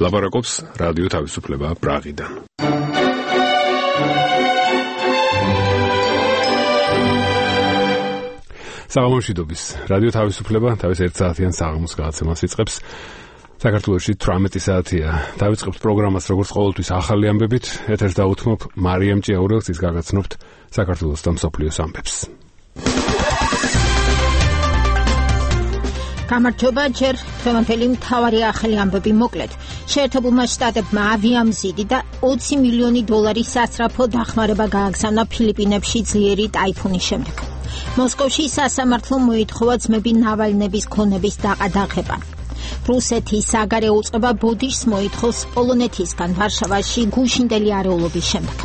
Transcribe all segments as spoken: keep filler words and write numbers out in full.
ლაპარაკობს რადიო თავისუფლება პრაღიდან. საღამომშვიდობის რადიო თავისუფლება თავის ერთ საათიან საღამოს გადაცემას იწყებს. საქართველოში თვრამეტი საათია. დავიწყებთ პროგრამას როგორც ყოველთვის ახალი ამბებით. ეთერს დაუთმობ მარიამ ჭიაურელს, ის გაგაცნობთ საქართველოს და მსოფლიოს ამბებს. გამარჯობა, ჯერ დღევანდელი მთავარი ახალი ამბები მოკლედ. შეერთებულმა შტატებმა ავიამზიდი და ოცი მილიონი დოლარის სასწრაფო დახმარება გააგზავნა ფილიპინებში ძლიერი ტაიფუნის შემდეგ. მოსკოვში სასამართლომ მოითხოვა ძმები ნავალნების ქონების დაყადაღება. რუსეთის საგარეო უწყება ბოდიშს მოითხოვს პოლონეთისგან ვარშავაში გუშინდელი არეულობის შემდეგ.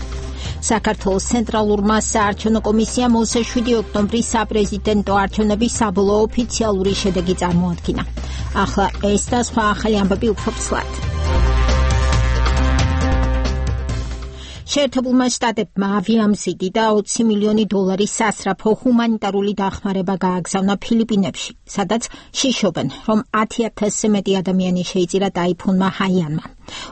საქართველოს ცენტრალურმა საარჩევნო კომისიამ ოცდაშვიდი ოქტომბრის საპრეზიდენტო არჩევნების საბოლოო ოფიციალური შედეგი წარმოადგინა. ახლა ეს და სხვა ახალი ამბები უფრო ცვლად. შეერთებულმა შტატებმა ავიამზიდი და ოცი მილიონი დოლარის სასწრაფო ჰუმანიტარული დახმარება გააგზავნა ფილიპინებში, სადაც შიშობენ, რომ ათი ათასზე მეტი ადამიანი შეიწირა ტაიფუნმა ჰაიანმა.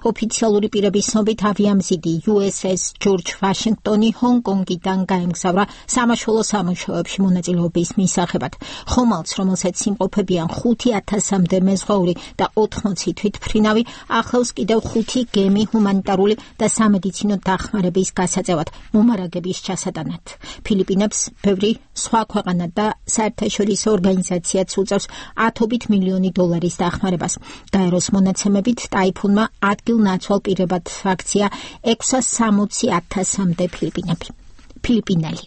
ოფიციალური პირების ცნობით ავიამზიდი იუ ეს ეს ჯორჯ ვაშინგტონი ჰონგ-კონგიდან გაემგზავრა სამაშველო სამუშაოებში მონაწილეობის მისაღებად. ხომალდს, რომელსაც იმყოფებიან ხუთი ათასამდე მეზღვაური და ოთხმოცი თვითმფრინავი, ახლავს კიდევ ხუთი გემი ჰუმანიტარული და სამედიცინო დახმარების გასაწევად მომარაგების ჩასატანად. ფილიპინებს ბევრი სხვა ქვეყანა და საერთაშორისო ორგანიზაციაც უწევს ათობით მილიონი დოლარის დახმარებას. გაეროს მონაცემებით ტაიფუნმა ადგილ-ნაცვალ პირებად აქცია ექვსას სამოცი ათასამდე ფილიპინები. ფილიპინელი.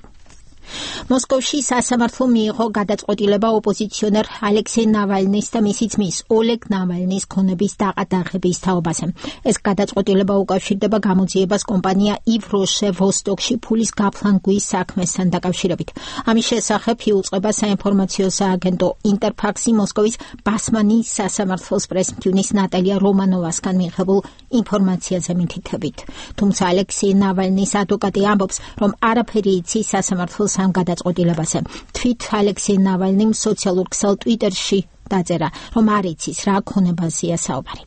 მოსკოვში სასამართლო მიიღო გადაწყვეტილება ოპოზიციონერ ალექსეი ნავალნის და მისი ძმის ოლეგ ნავალნის ქონების დაყადაღების თაობაზე. ეს გადაწყვეტილება უკავშირდება გამოძიებას კომპანია ივროშე ვოსტოკში ფულის გაფლანგვის საქმესთან დაკავშირებით. ამის შესახებ იუწყება საინფორმაციო სააგენტო ინტერფაქსი მოსკოვის ბასმანის სასამართლოს პრესმდივნის ნატალია რომანოვასგან მიღებულ ინფორმაციაზე მითითებით. თუმცა ალექსეი ნავალნის ადვოკატი ამბობს, რომ არაფერი იცის სასამართლოს ამ გადაწყვეტილებაზე. თვით ალექსეი ნავალნიმ სოციალურ ქსელ ტვიტერში დაწერა, რომ არ იცის რა ქონებაზეა საუბარი.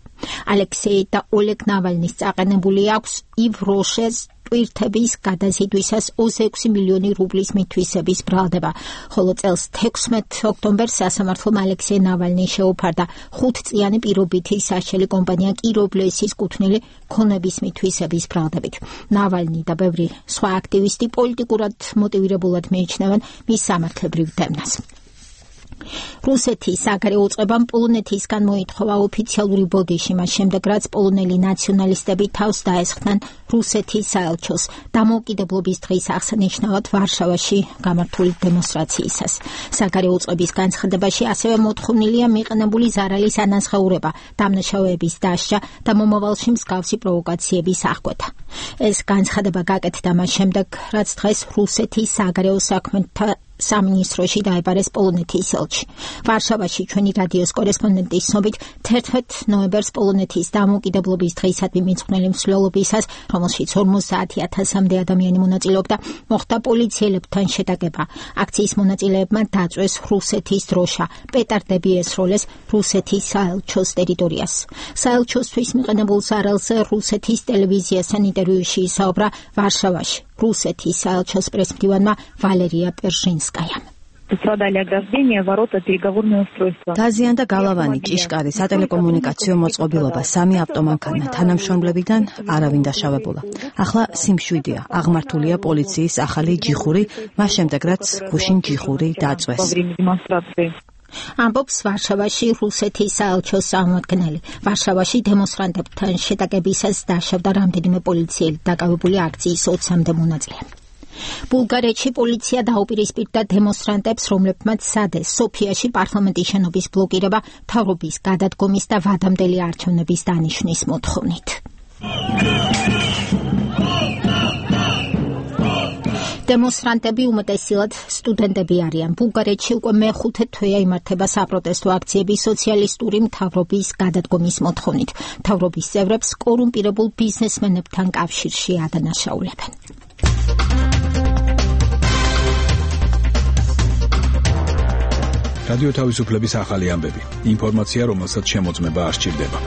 ალექსეი და ოლეგ ნავალნის წაყენებული აქვს ივროშეს ტვირთების გადაზიდვისას ოცდაექვსი მილიონი რუბლის მითვისების ბრალდება, ხოლო წელს თექვსმეტ ოქტომბერს სასამართლომ ალექსეი ნავალნი შეუფარდა ხუთწლიანი პირობითი საშელი კომპანია კირობლესის კუთვნილი ქონების მითვისების ბრალდებით. ნავალნი და ბევრი სხვა აქტივისტი პოლიტიკურად მოტივირებულად მიიჩნევენ მის სამართლებრივ დევნას. რუსეთის საგარეო უწყებამ პოლონეთისგან მოითხოვა ოფიციალური ბოდიში, მას შემდეგ რაც პოლონელი ნაციონალისტები თავს დაესხნენ რუსეთის საელჩოს დამოუკიდებლობის დღის აღსანიშნავად ვარშავაში გამართული დემონსტრაციისას. საგარეო უწყების განცხადებაში ასევე მოთხოვნილია მიყენებული ზარალის ანაზღაურება, დამნაშავეების დასჯა და მომავალში მსგავსი პროვოკაციების აღკვეთა. ეს განცხადება გაკეთდა მას შემდეგ, რაც დღეს რუსეთის საგარეო საქმეთა სამინისტროში დაებარეს პოლონეთის ელჩი. ვარშავაში ჩვენი რადიოს კორესპონდენტის ცნობით თერთმეტ ნოემბერს პოლონეთის დამოუკიდებლობის დღეისადმი მიძღვნილი მსვლელობისას, რომელშიც ორმოცდაათი ათასამდე ადამიანი მონაწილეობდა, მოხდა პოლიციელებთან შეტაკება. აქციის მონაწილეებმა დაწვეს რუსეთის დროშა, პეტარდები ესროლეს რუსეთის საელჩოს ტერიტორიას. საელჩოსთვის მიყენებულ ზარალზე რუსეთის ტელევიზიასთან ინტერვიუში ისაუბრა ვარშავაში რუსეთის საელჩოს პრესმდივანმა ვალერია პერჟინსკაიამ. დაზიანდა გალავანი, ჭიშკარი, სატელეკომუნიკაციო მოწყობილობა, სამი ავტომანქანა, თანამშრომლებიდან არავინ დაშავებულა. ახლა სიმშვიდეა, აღმართულია პოლიციის ახალი ჯიხური, მას შემდეგ რაც გუშინ ჯიხური დაწვეს. ამბობს ვარშავაში რუსეთის საელჩოს წარმომადგენელი. ვარშავაში დემონსტრანტებთან შეტაკებისას დაშავდა რამდენიმე პოლიციელი, დაკავებული აქციის ოცამდე მონაწილე. ბულგარეთში პოლიცია დაუპირისპირდა დემონსტრანტებს, რომლებმაც სადეს სოფიაში პარლამენტის შენობის ბლოკირება მთავრობის გადადგომის და ვადამდელი არჩევნების დანიშვნის მოთხოვნით. დემონსტრანტები უმეტესად სტუდენტები არიან. ბულგარეთში უკვე მეხუთე თვეა იმართება საპროტესტო აქციები სოციალისტური მთავრობის გადადგომის მოთხოვნით. მთავრობის წევრებს კორუმპირებულ ბიზნესმენებთან კავშირში ადანაშაულებენ. რადიო თავისუფლების ახალი ამბები. ინფორმაცია, რომელსაც შემოწმება არ სჭირდება.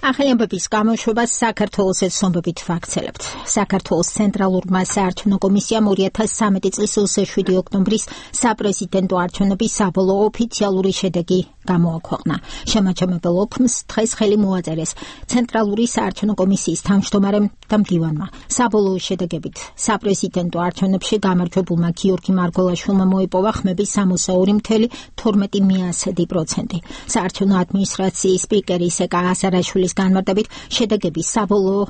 ახალი ამბების გამოშვებას საქართველოსაც სომბებით ვაქცელებთ. საქართველოს ცენტრალურმა საარჩევნო კომისიამ ორი ათას სამი წლის ოცდაშვიდი ოქტომბრის საპრეზიდენტო არჩევნების საბოლოო ოფიციალური შედეგი გამოაქვეყნა. შემაჯამებელ ოქმს დღეს ხელი მოაწერეს ცენტრალური საარჩევნო კომისიის თავმჯდომარემ და მდივანმა. საბოლოო შედეგებით საპრეზიდენტო არჩევნებში გამარჯვებულმა გიორგი მარგველაშვილმა მოიპოვა ხმების სამოცდა ორი მცდე თორმეტი პროცენტი. საარჩევნო ადმინისტრაციის სპიკერი სეკა ასარაშვილის განმარტებით შედეგები საბოლოო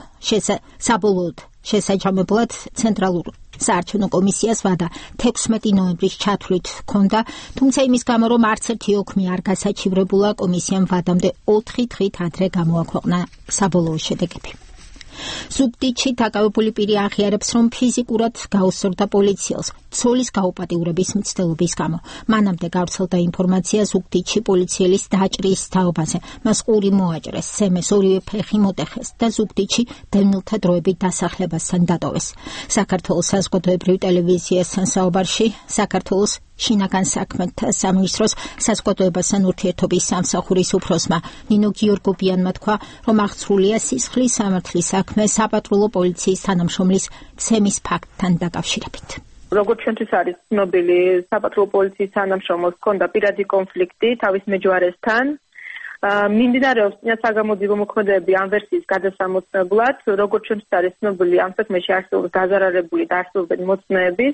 საბოლოოდ შესაჯამებლად ცენტრალურ საარჩევნო კომისიას ვადა თექვსმეტი ნოემბრის ჩათვლით ჰქონდა, თუმცა იმის გამო რომ არც ერთი ოქმი არ გასაჩივრებულა, კომისიამ ვადამდე ოთხი დღით ადრე გამოაქვეყნა საბოლოო შედეგები. ზუგდიდში დაკავებული პირი აღიარებს, რომ ფიზიკურად გაუსწორდა პოლიციელს ცოლის გაუპატიურების მცდელობის გამო. მანამდე გავრცელდა ინფორმაცია ზუგდიდში პოლიციელის დაჭრის თაობაზე. მას ყური მოაჭრეს, სემეს ორივე ფეხი მოტეხეს და ზუგდიდში დევნილთა დროებით დასახლებასთან დატოვეს. საქართველოს საზოგადოებრივ ტელევიზიასთან საუბარში საქართველოს შინაგან საქმეთა სამინისტროს საზოგადოებასთან ურთიერთობის სამსახურის უფროსმა ნინო გიორგობიანმა თქვა, რომ აღძრულია სისხლის სამართლის საქმე საპატრულო პოლიციის თანამშრომლის ცემის ფაქტთან დაკავშირებით. როგორც ჩვენთვის არის ცნობილი, საპატრულო პოლიციის თანამშრომელს ჰქონდა პირადი კონფლიქტი თავის მეჯვარესთან. მიმდინარეობს საგამოძიებო მოქმედებები ამ ვერსიის გადასამოცნებლად. როგორც ჩვენთვის არის ცნობილი, ამ საქმეში არსებობს დაზარალებული და არსებობენ მოწმეები.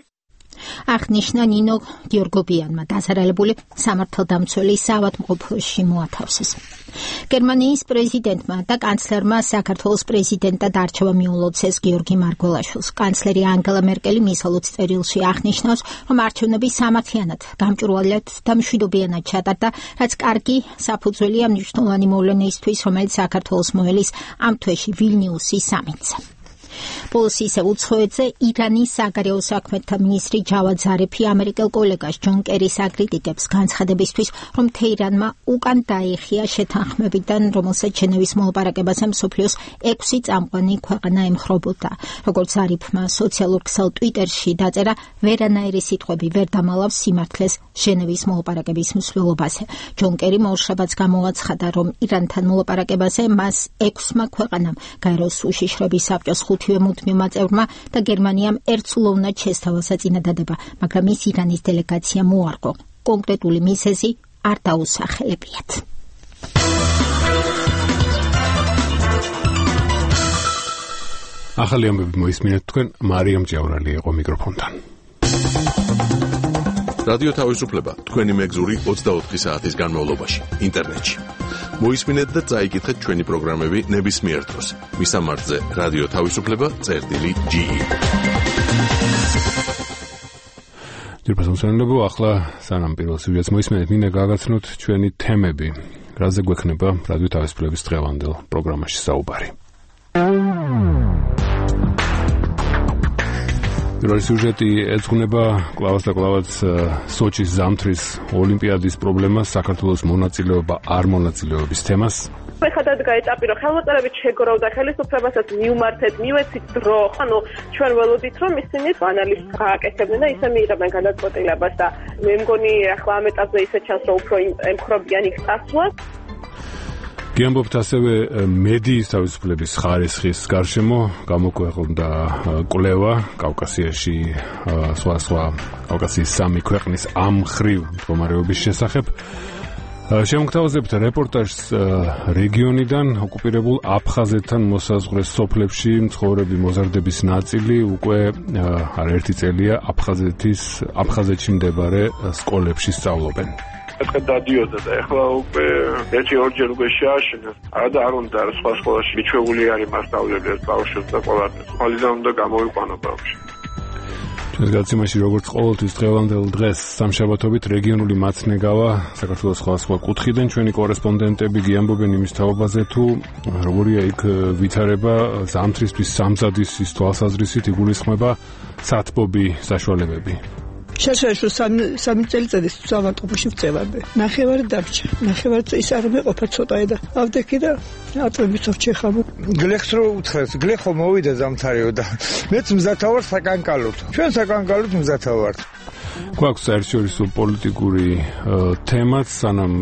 აღნიშნა ნინო გიორგობიანმა, დაზარალებული სამართალდამცველი საავადმყოფოში მოათავსეს. გერმანიის პრეზიდენტმა და კანცლერმა საქართველოს პრეზიდენტად არჩევა მიულოცეს გიორგი მარგველაშვილს. კანცლერი ანგელა მერკელი მის ელოც წერილში აღნიშნავს, რომ არჩევნები სამართლიანად, გამჭვირვალედ და მშვიდობიანად ჩატარდა, რაც კარგი საფუძველია მნიშვნელოვანი მოვლენისთვის, რომელიც საქართველოს მოელის ამ თვეში ვილნიუსის სამიტზე. ბოლოს ისევ უცხოეთზე ირანის საგარეო საქმეთა მინისტრი ჯავად ზარიფი ამერიკელ კოლეგას ჯონ კერის აკრიტიკებს განცხადებისთვის, რომ თეირანმა უკან დაიხია შეთანხმებიდან, რომელსაც ჟენევის მოლაპარაკებაზე მსოფლიოს ექვსი წამყვანი ქვეყანა ემხრობოდა. როგორც ზარიფმა სოციალურ ქსელ ტვიტერში დაწერა, ვერანაირი სიტყვები ვერ დამალავს სიმართლეს ჟენევის მოლაპარაკების მსვლელობაზე. ჯონ კერიმ ორშაბათს გამოაცხადა, რომ ირანთან მოლაპარაკებაზე მას ექვსმა ქვეყანამ გაეროს უშიშროების საბჭოს ხუთივე მუდმივმა წევრმა და გერმანიამ ერთსულოვნად შესთავა საწინადადება, მაგრამ ის ირანის დელეგაცია მოარგო. კონკრეტული მიზეზი არ დაუსახელებიათ. ახალი ამბები მოისმინეთ თქვენ, მარიამ ჭიაურალი იყო მიკროფონთან. რადიო თავისუფლება თქვენი მეგზური ოცდაოთხი საათის განმავლობაში ინტერნეტში. მოისმინეთ და წაიკითხეთ ჩვენი პროგრამები ნებისმიერ დროს. მისამართზე რადიო თავისუფლება წერტილი ჯი. ძირფასმსვენებო, ახლა სანამ პირველ სიუჟეტს მოისმენთ, მინდა გაგაცნოთ ჩვენი თემები, რაზე გვექნება რადიო თავისუფლების დღევანდელ პროგრამაში საუბარი. პირველი სიუჟეტი ეძღვნება კლავაც და კლავაც სოჩის ზამთრის ოლიმპიადის პრობლემას, საქართველოს მონაწილეობა არ მონაწილეობის თემას. ხადად გაიწაპირო, ხელმოწერებით შეგროვდა ხელისუფლებასაც მიუმართეთ, მივეცით დრო, ანუ ჩვენ ველოდით, რომ ისინი ანალიზს გააკეთებდნენ და ისე მიიღებენ გადაწყვეტილებას და მე მგონი ახლა ამ ეტაპზე ისე ჩანს, რომ უფრო ემხრობიან იქ წასვლას. გიამბობთ ასევე მედიის თავისუფლების ხარისხის გარშემო გამოქვეყნდა კვლევა კავკასიაში სხვა სხვა კავკასიის სამი ქვეყნის ამ ხრივ მდგომარეობის შესახებ. შემოგთავაზებთ რეპორტაჟს რეგიონიდან ოკუპირებულ აფხაზეთთან მოსაზღვრე სოფლებში მცხოვრები მოზარდების ნაწილი უკვე არაერთი წელია აფხაზეთის აფხაზეთში მდებარე სკოლებში სწავლობენ. ეთქე დადიოდა და ეხლა უკვე ერთი ორჯერ უკვე შეაშინა. არა და არ უნდა სხვა სკოლაში მიჩვეული არის მასწავლებელი ბავშვებს და ყველაფერს. ხალიდან უნდა გამოვიყვანო ბავშვი. ჩვენს გაცემაში როგორც ყოველთვის დღევანდელ დღეს სამშაბათობით რეგიონული მაცნეგავა საქართველოს სხვა სხვა კუთხიდან ჩვენი კორესპონდენტები გიამბობენ იმის თაობაზე თუ როგორია იქ ვითარება ზამთრისთვის სამზადის თვალსაზრისით იგულისხმება სათბობი საშუალებები. შესაძლოა სამი წელიწადის ავადმყოფოში ვწევარდი. ნახევარი დარჩა. ნახევარი ის არ მეყოფა ცოტაა და ავდექი და ატვებით ვჩეხავ. გლეხს რო უთხრეს, გლეხო მოვიდა ზამთარიო და მეც მზათავარ საკანკალოდ. ჩვენ საკანკალოდ მზათავართ. გვაქვს საერთაშორისო პოლიტიკური თემაც, სანამ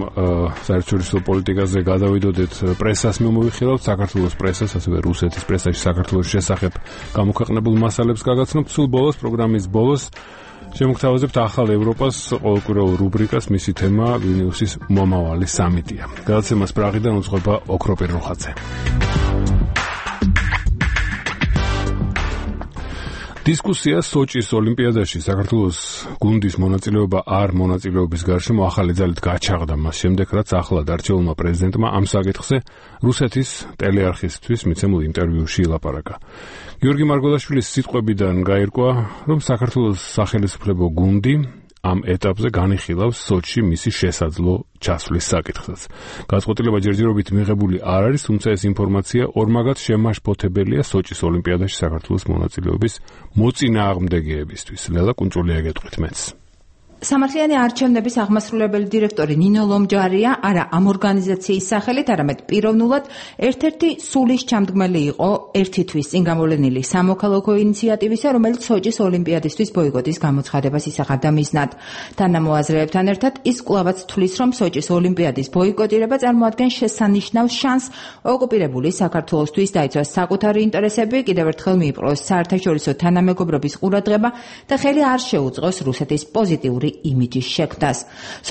საერთაშორისო პოლიტიკაზე გადავიდოდეთ პრესას მიმოვიხილავთ, საქართველოს პრესას, ასევე რუსეთის პრესაში საქართველოს შესახებ გამოქვეყნებულ მასალებს გაგაცნობთ. სულ ბოლოს, პროგრამის ბოლოს შემოგთავაზებთ ახალ ევროპას ყოველკვირეულ რუბრიკას, მისი თემა ვილნიუსის მომავალი სამიტია. გადაცემას პრაღიდან უძღვება ოქროპირ როხაძე. დისკუსია სოჭის ოლიმპიადაში საქართველოს გუნდის მონაწილეობა არ მონაწილეობის გარშემო ახალი ძალით გაჩაღდა მას შემდეგ, რაც ახლად არჩეულმა პრეზიდენტმა ამ საკითხზე რუსეთის ტელეარხისთვის მიცემულ ინტერვიუში ილაპარაკა. გიორგი მარგველაშვილის სიტყვებიდან გაირკვა, რომ საქართველოს სახელმწიფო გუნდი ამ ეტაპზე განიხილავს სოჭში მისი შესაძლო ჩასვლის საკითხსაც. გადაწყვეტილება ჯერჯერობით მიღებული არ არის, თუმცა ეს ინფორმაცია ორმაგად შემაშფოთებელია სოჭის ოლიმპიადაში საქართველოს მონაწილეობის მოწინააღმდეგეებისთვის. ლელა კუნჭულია გეტყვით მეც. სამართლიანი არჩევნების აღმასრულებელი დირექტორი ნინო ლომჯარია არა ამ ორგანიზაციის სახელით, არამედ პიროვნულად ერთ-ერთი სულის ჩამდგმელი იყო ერთი თვის წინ გამოვლენილი სამოქალაქო ინიციატივისა, რომელიც სოჭის ოლიმპიადისთვის ბოიკოტის გამოცხადებას ისახავდა მიზნად. თანამოაზრეებთან ერთად ის კვლავაც თვლის, რომ სოჭის ოლიმპიადის ბოიკოტირება წარმოადგენს შესანიშნავ შანსს ოკუპირებული საქართველოსთვის დაიცვას საკუთარი ინტერესები, კიდევ ერთხელ მიიპყროს საერთაშორისო თანამეგობრობის ყურადღება და ხელი არ შეუწყოს რუსეთის პოზიტიური იმიჯის შექმნას.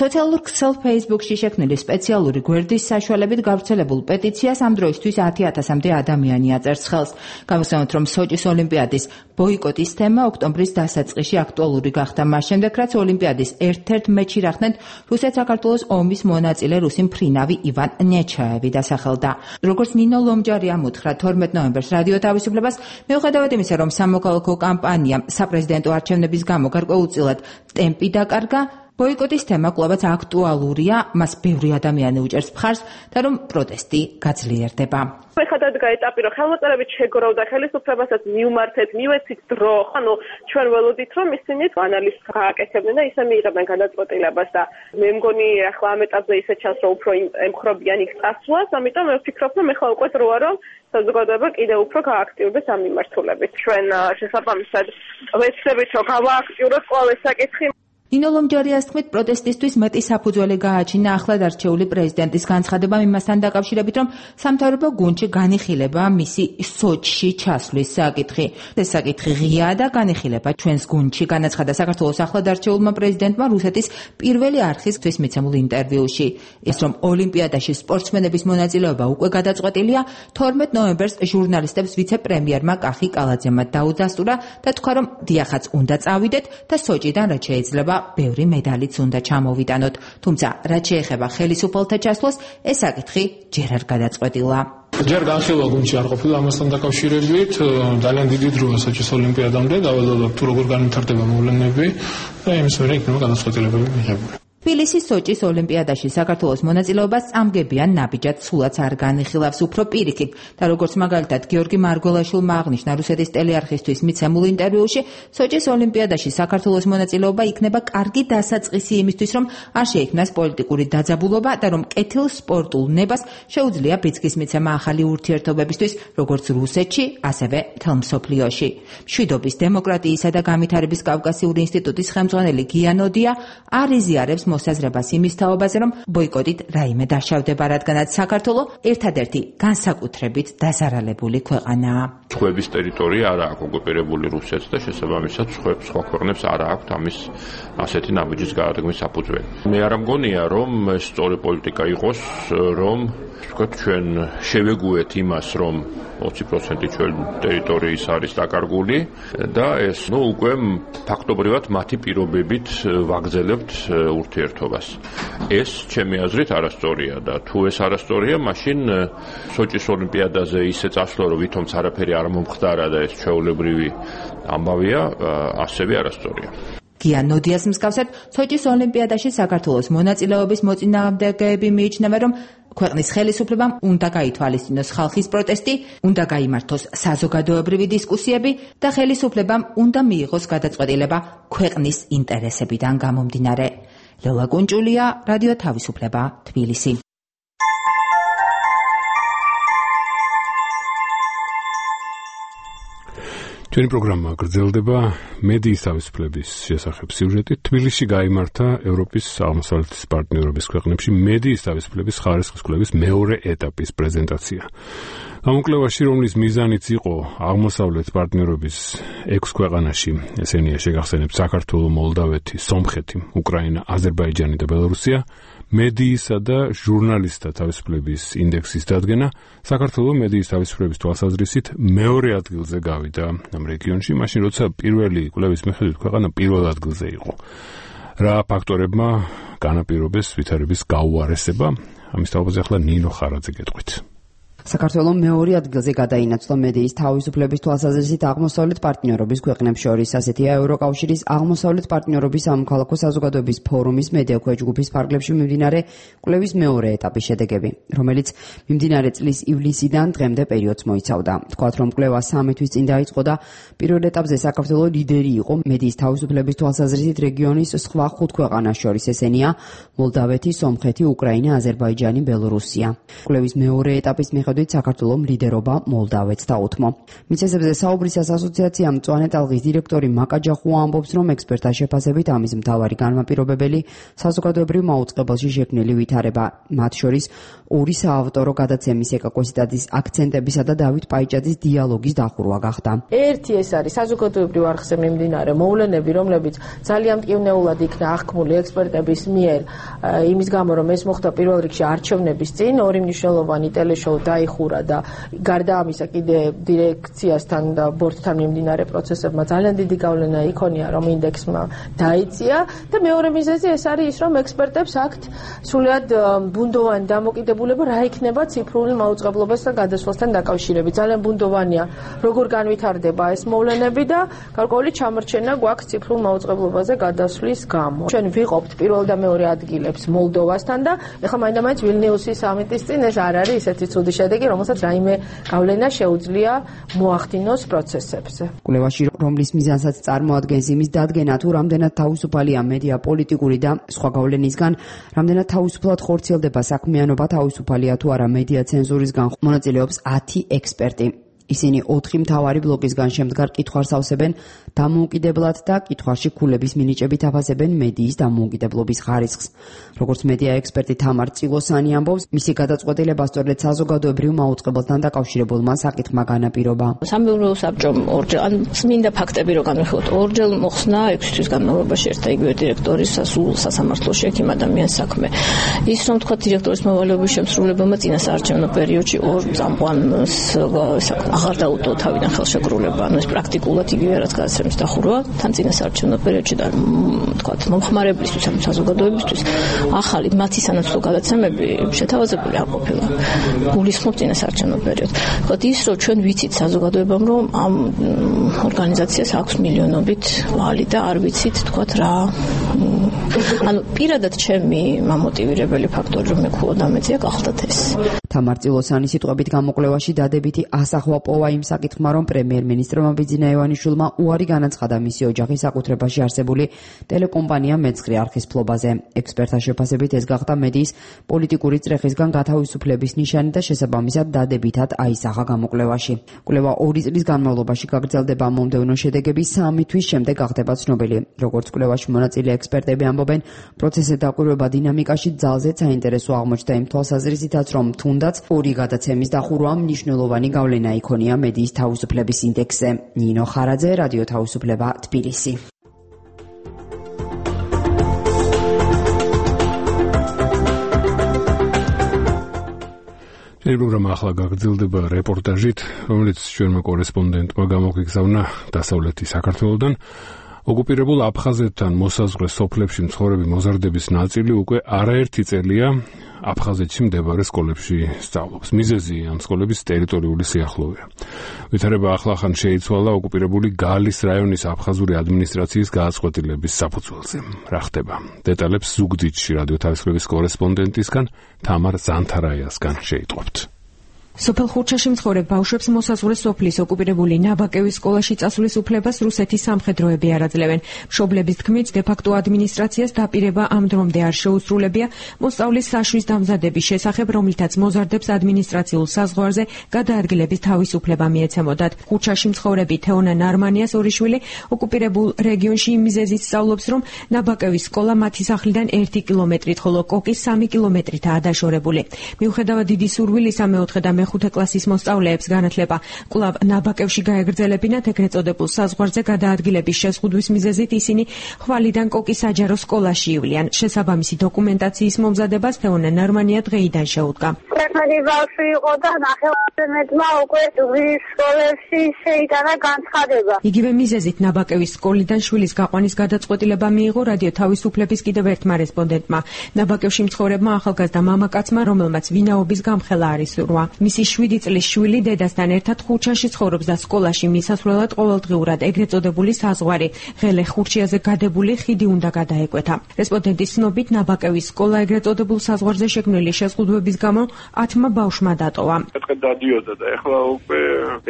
სოციალურ ქსელ Facebook-ში შექმნილი სპეციალური გვერდის საშუალებით გავრცელებულ პეტიციას ამ დროისთვის ათი ათასამდე ადამიანი აწერს ხელს. გამოსცემთ, რომ სოჭის ოლიმპიადის ბოიკოტის თემა ოქტომბრის დასაწყისში აქტუალური გახდა მას შემდეგ, რაც ოლიმპიადის ერთ-ერთ მეჩში რახნეთ რუსეთ-საქართველოს ომის მონაწილე რუსი მფრინავი ივან ნეჩაევი დასახელდა. როგორც ნინო ლომჯარია მოთხრა თორმეტ ნოემბერს რადიო თავისუფლებას, მიუხედავად იმისა, რომ სამოქალაქო კამპანიამ საპრეზიდენტო არჩევნების გამო გარკვეულწილად ტემპი დაკარგა, ბოიკოტის თემა კვლავაც აქტუალურია, მას ბევრი ადამიანი უჭერს მხარს და რომ პროტესტი გაძლიერდება. ეხლა დადგა ეტაპი, რომ ხელმოწერებით შეგროვდა ხელისუფლებასაც მივმართეთ, მივეცით დრო, ანუ ჩვენ ველოდით, რომ ისინი ანალიზს გააკეთებდნენ და ისე მიიღებდნენ გადაწყვეტილებას და მე მგონი ახლა ამ ეტაპზე ისე ჩანს, რომ უფრო ემხრობიან იქ წასვლას, ამიტომ მე ვფიქრობ, რომ ეხლა უკვე დროა, რომ საზოგადოება კიდევ უფრო გააქტიურდეს ამ მიმართულებით. ჩვენ შესაბამისად ვეცდებით, რომ გავააქტიუროთ ყველა ეს საკითხი. ნინო ლომჯარიას თქმით, პროტესტისთვის მეტი საფუძველი გააჩინა ახლად არჩეული პრეზიდენტის განცხადებამ იმასთან დაკავშირებით, რომ სამთავრობო გუნდში განიხილება მისი სოჭში ჩასვლის საკითხი. ეს საკითხი ღიაა და განიხილება ჩვენს გუნდში, განაცხადა საქართველოს ახლად არჩეულმა პრეზიდენტმა რუსეთის პირველი არხისთვის მიცემულ ინტერვიუში. ის რომ ოლიმპიადაში სპორტსმენების მონაწილეობა უკვე გადაწყვეტილია, თორმეტ ნოემბერს ჟურნალისტებს ვიცე-პრემიერმა კახი კალაძემმა დაუდასტურა და თქვა, რომ დიახაც უნდა წავიდეთ და სოჭიდან რაც შეიძლება ბევრი მედალიც უნდა ჩამოვიტანოთ, თუმცა რაც შეეხება ხელისუფალთა ჩასვლას, ეს საკითხი ჯერ არ გადაწყვეტილა. ჯერ განხილვა გუნდში არ ყოფილა ამასთან დაკავშირებით, ძალიან დიდი დროა სოჭის ოლიმპიადამდე, დაველოდოთ თუ როგორ განვითარდება მოვლენები და იმის მერე იქნება გადაწყვეტილებები მიღებული. თბილისის სოჭის ოლიმპიადაში საქართველოს მონაწილეობას წამგებიან ნაბიჯად სულაც არ განიხილავს, უფრო პირიქით და როგორც მაგალითად გიორგი მარგველაშვილმა აღნიშნა რუსეთის ტელეარხისთვის მიცემულ ინტერვიუში, სოჭის ოლიმპიადაში საქართველოს მონაწილეობა იქნება კარგი დასაწყისი იმისთვის, რომ არ შეიქმნას პოლიტიკური დაძაბულობა და რომ კეთილ სპორტულ ნებას შეუძლია ბიძგის მიცემა ახალი ურთიერთობებისთვის, როგორც რუსეთში, ასევე მთელ მსოფლიოში. მშვიდობის, დემოკრატიისა და განვითარების კავკასიური ინსტიტუტის ხელმძღვანელი გია ნოდია არ იზიარებს მოსაზრებას იმის თაობაზე, რომ ბოიკოტით რაიმე დაშავდება, რადგანაც საქართველო ერთადერთი განსაკუთრებით დაზარალებული ქვეყანაა. სხვების ტერიტორია არ აქვს ოკუპირებული რუსეთს და შესაბამისად სხვა ქვეყნებს არ აქვს ამის ასეთი ნაბიჯის გაადგმის საფუძველი. მე არ მგონია, რომ ეს სწორი პოლიტიკა იყოს, რომ ვთქვათ, ჩვენ შევეგუეთ იმას, რომ ოცი პროცენტი ჩვენ ტერიტორიის არის დაკარგული და ეს ნუ უკვე ფაქტობრივად მათი პირობებით ვაგრძელებთ ურთიერთობას. ეს ჩემი აზრით არასწორია და თუ ეს არასწორია, მაშინ სოჭის ოლიმპიადაზე ისე წასვლა, რომ ვითომც არაფერი არ მომხდარა და ეს ჩვეულებრივი ამბავია, ასევე არასწორია. გია ნოდიას მსგავსად, სოჭის ოლიმპიადაში საქართველოს მონაწილეობის მოწინააღმდეგეები მიიჩნევენ, რომ ქვეყნის ხელისუფლებამ უნდა გაითვალისწინოს ხალხის პროტესტი, უნდა გაიმართოს საზოგადოებრივი დისკუსიები და ხელისუფლებამ უნდა მიიღოს გადაწყვეტილება ქვეყნის ინტერესებიდან გამომდინარე. ლელა კუნჭულია, რადიო თავისუფლება, თბილისი. ჩვენი პროგრამა გრძელდება მედიის თავისუფლების შესახებ სიუჟეტით. თბილისში გაიმართა ევროპის აღმოსავლეთის პარტნიორობის ქვეყნებში მედიის თავისუფლების ხარისხის კვლევის მეორე ეტაპის პრეზენტაცია. გამოკვლევაში, რომლის მიზანიც იყო აღმოსავლეთ პარტნიორობის ექვს ქვეყანაში, ესენია შეგახსენებთ საქართველო, მოლდავეთი, სომხეთი, უკრაინა, აზერბაიჯანი და ბელორუსია, მედიისა და ჟურნალისტთა თავისუფლების ინდექსის დადგენა, საქართველო მედიის თავისუფლების თვალსაზრისით მეორე ადგილზე გავიდა ამ რეგიონში, მაშინ როცა პირველი კვლევის მიხედვით ქვეყანა პირველ ადგილზე იყო. რა ფაქტორებმა განაპირობეს ვითარების გაუარესება? ამის თაობაზე ახლა ნინო ხარაძე გეტყვით. საქართველოს მეორე ადგილზე გადაინაცვლა მედიის თავისუფლების თვალსაზრისით აღმოსავლეთ პარტნიორობის ქვეყნებს შორის, ასეთია ევროკავშირის აღმოსავლეთ პარტნიორობის სამოქალაქო საზოგადოების ფორუმის მედიაქვე ჯგუფის ფარგლებში მიმდინარე კვლევის მეორე ეტაპის შედეგები, რომელიც მიმდინარე წლის ივლისიდან დღემდე პერიოდს მოიცავდა. თქვათ, რომ კვლევა სამი თვის წინ დაიწყო და პირველ ეტაპზე საქართველოს ლიდერი იყო მედიის თავისუფლების თვალსაზრისით რეგიონის სხვა ხუთ ქვეყანას შორის, ესენია მოლდავეთი, სომხეთი, უკრაინა, აზერბაიჯანი, ბელორუსია. კვლევის მეორე ეტაპის მიხედვით საქართველოს ლიდერობა მოლდავეთს დაუთმო. მიწესებზე საუბრისას ასოციაცია მწვანე ტალღის დირექტორი მაკა ჯახუა ამბობს, რომ ექსპერტთა შეფასებით ამის მთავარი განმაპირობებელი საზოგადოებრივ მაუწყებელში შექმნილი ვითარება, მათ შორის ორი საავტორო გადაცემის ეკაკოსიტაძის აქცენტებისა და დავით პაიჭაძის დიალოგის დახურვა გახდა. ერთი ეს არის საზოგადოებრივ არხზე მიმდინარე მოვლენები, რომლებიც ძალიან მტკივნეულად იქნა აღქმული ექსპერტების მიერ, იმის გამო, რომ ეს მოხდა პირველ რიგში არჩევნების წინ, ორი მნიშვნელოვანი ტელეშოუ დაიხურა და გარდა ამისა კიდე დირექციასთან და ბორდთან მიმდინარე პროცესებმა ძალიან დიდი გავლენა იქონია, რომ ინდექსმა დაიწია და მეორე მიზეზი ეს არის ის, რომ ექსპერტებს აქვთ სრულიად ბუნდოვანი დამოკიდებულება რა იქნება ციფრული მაუწყებლობასთან გადასვლასთან დაკავშირებით. ძალიან ბუნდოვანია, როგორ განვითარდება ეს მოვლენები და გარკვეული ჩამორჩენა გვაქვს ციფრულ მაუწყებლობაზე გადასვლის გამო. ჩვენ ვიყოფთ პირველ და მეორე ადგილებს მოლდოვასთან და ეხლა მაინდა-მაინც ვილნიუსის სამიტის წინ ეს არ არის ესეთი ცუდი შედეგი, რომელსაც რაიმე გავლენა შეუძლია მოახდინოს პროცესებზე. კვლევაში, რომლის მიზანსაც წარმოადგენს იმის დადგენა, თუ რამდენად თავისუფალია მედია პოლიტიკური და სხვა გავლენისგან, რამდენად თავისუფლად ხორციელდება საქმიანობა, თავისუფალია თუ არა მედია ცენზურისგან, მონაწილეობს ათი ექსპერტი. ისინი ოთხი მთავარი ბლოკისგან შემდგარ კითხვას ავსებენ დამოუკიდებლად და კითხვაში ქულების მინიჭებით აფასებენ მედიის დამოუკიდებლობის ხარისხს. როგორც მედია ექსპერტი თამარ წილოსანი ამბობს, მისი გადაწყვეტილება სწორედ საზოგადოებრივ მაუწყებელთან დაკავშირებულმა საკითხმა განაპირობა. სამეურნეო საბჭომ ორჯერ, ან წმინდა ფაქტები რო განვიხილოთ, ორჯერ მოხსნა ექვსი თვის განმავლობაში ერთ და იგივე დირექტორის სულ სასამართლოში ექიმ ადამიანის საქმე. ის რომ თქვა დირექტორის მოვალეობის შემსრულებელმა წინასაარჩევნო პერიოდში ორ წამყვანს აღარ დაუტო თავიდან ხელშეკრულება, ანუ ეს პრაქტიკულად იგივე რაც გადაცემის დახურვა, თან წინასაარჩევნო პერიოდში და თქვათ მომხმარებლისთვის, ანუ საზოგადოებისთვის ახალი მათი სანაცვლო გადაცემები შეთავაზებული არ ყოფილა. გულისხმობ წინასაარჩევნო პერიოდს. თქვათ ის, რომ ჩვენ ვიცით საზოგადოებამ, რომ ამ ორგანიზაციას აქვს მილიონობით ვალი და არ ვიცით, თქვათ რა. ანუ პირადად ჩემი მამოტივირებელი ფაქტორი რომ მე ქულა დამეწია გახდათ ეს. თამარ წილოსანის სიტყვებით გამოკვლევაში დადებითი ასახვა პოვა იმ საკითხმა, რომ პრემიერ-მინისტრმა ბიძინა ივანიშვილმა უარი განაცხადა მისი ოჯახის საკუთრებაში არსებული ტელეკომპანია მეცხრე არხის ფლობაზე. ექსპერტთა შეფასებით ეს გახდა მედიის პოლიტიკური წრეხისგან გათავისუფლების ნიშანი და შესაბამისად დადებითად აისახა გამოკვლევაში. კვლევა ორი წლის განმავლობაში გაგრძელდება, მომდევნო შედეგები სამი თვის შემდეგ გახდება ცნობილი. როგორც კვლევაში მონაწილე ექსპერტები ამბობენ, პროცესის დაკვირვება დინამიკაში ძალზედ საინტერესო აღმოჩნდა იმ თვალსაზრისითაც, რომ თუნდაც ორი გადაცემის დახურვა მნიშვნელოვანი გავლენა იქონია მედიის თავისუფლების ინდექსზე. ნინო ხარაძე, რადიო თავისუფლება, თბილისი. ჩვენი პროგრამა ახლა გაგრძელდება რეპორტაჟით, რომელიც ჩვენმა კორესპონდენტმა გამოგიგზავნა დასავლეთის საქართველოდან. ოკუპირებულ აფხაზეთთან მოსაზღვრე სოფლებში მცხოვრები მოზარდების ნაწილი უკვე არაერთი წელია აფხაზეთში მდებარე სკოლებში სწავლობს. მიზეზი ამ სკოლების ტერიტორიული სიახლოვეა. ვითარება ახლახან შეიცვალა ოკუპირებული გალის რაიონის აფხაზური ადმინისტრაციის გააწყვეტილების საფუძველზე. რა ხდება? დეტალებს ზუგდიდში რადიო თავისუფლების კორესპონდენტისგან თამარ ზანთარაიასგან შეიტყობთ. სოფელ ხურჩაში მცხოვრებ ბავშვებს მოსაზღვრე სოფლის ოკუპირებული ნაბაკევის სკოლაში წასვლის უფლებას რუსეთის სამხედროები არ აძლევენ. მშობლების თქმით, დე-ფაქტო ადმინისტრაციას დაპირება ამ დრომდე არ შეუსრულებია მოსწავლის საშვის დამზადების შესახებ, რომლითაც მოზარდებს ადმინისტრაციულ საზღვარზე გადაადგილების თავისუფლება მიეცემოდათ. ხურჩაში მცხოვრები თეონა ნარმანიას ორი შვილი ოკუპირებულ რეგიონში იმ მიზეზით სწავლობს, რომ ნაბაკევის სკოლა მათი სახლიდან ერთი კილომეტრით, ხოლო კოკის სამი კილომეტრითაა დაშორებული. მიუხედავად დიდი სურვილისა მეოთხე და მეხუთე კლასის მოსწავლეებს განათლება კვლავ ნაბაკევში გაეგრძელებინათ, ეგრეთ წოდებულ საზღვარზე გადაადგილების შეზღუდვის მიზეზით ისინი ხვალიდან კოკის საჯარო სკოლაში ივლიან. შესაბამისი დოკუმენტაციის მომზადებას თეონა ნარმანია დღეიდან შეუდგა. ერთმანეთი ბავშვი იყო და ნახევარმეტმა უკვე ზუგდიდის სკოლებში შეიტანა განცხადება. იგივე მიზეზით ნაბაკევის სკოლიდან შვილის გაყვანის გადაწყვეტილება მიიღო რადიო თავისუფლების კიდევ ერთმა რესპონდენტმა. ნაბაკევში მცხოვრებმა ახალგაზრდა მამაკაცმა, რომელმაც ვინაობის გამხელა არის სურვა. მისი შვიდი წლის შვილი დედასთან ერთად ხურჩაში ცხოვრობს და სკოლაში მისასვლელად ყოველდღიურად ეგრეთ წოდებული საზღვარი ღელე ხურჩიაზე გადებული ხიდი უნდა გადაეკვეთა. რესპონდენტის ცნობით, ნაბაკევის სკოლა ეგრეთ წოდებულ საზღვარზე შექმნილი შეზღუდვების გამო ათმა ბავშვმა დატოვა. ეთქე დადიოდა და ეხლა უკვე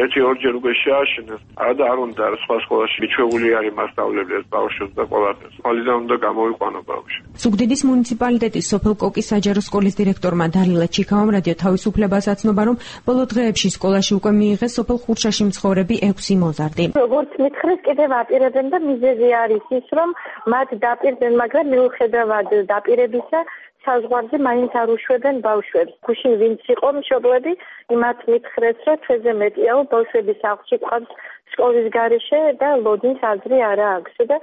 ერთი ორჯერ უკვე შეაშინეს. არა არ უნდა სხვა სკოლაში მიჩვეული არის მასწავლებლებს ბავშვებს და ყოლადებს. ხალიდან უნდა გამოიყვანო ბავშვი. ზუგდიდის მუნიციპალიტეტის სოფელ კოკის საჯარო სკოლის დირექტორმა დარილა ჩიქავამ რადიო თავისუფლებას აცნობა, რომ ბოლო დღეებში სკოლაში უკვე მიიღეს სოფელ ხურჩაში მცხოვრები ექვსი მოზარდი. როგორც მითხრეს, კიდევ აპირებენ და მიზეზი არის ის, რომ მათ დაპირდნენ, მაგრამ მიუხედავად დაპირებისა საზღვარზე მაინც არ უშვებენ ბავშვებს. გუშინ ვინც იყო მშობლები, იმათ მითხრეს, რომ ჩვენზე მეტია ბავშვების სახლში ყავს სკოლის გარეშე და ლოდინს აზრი არა აქვს და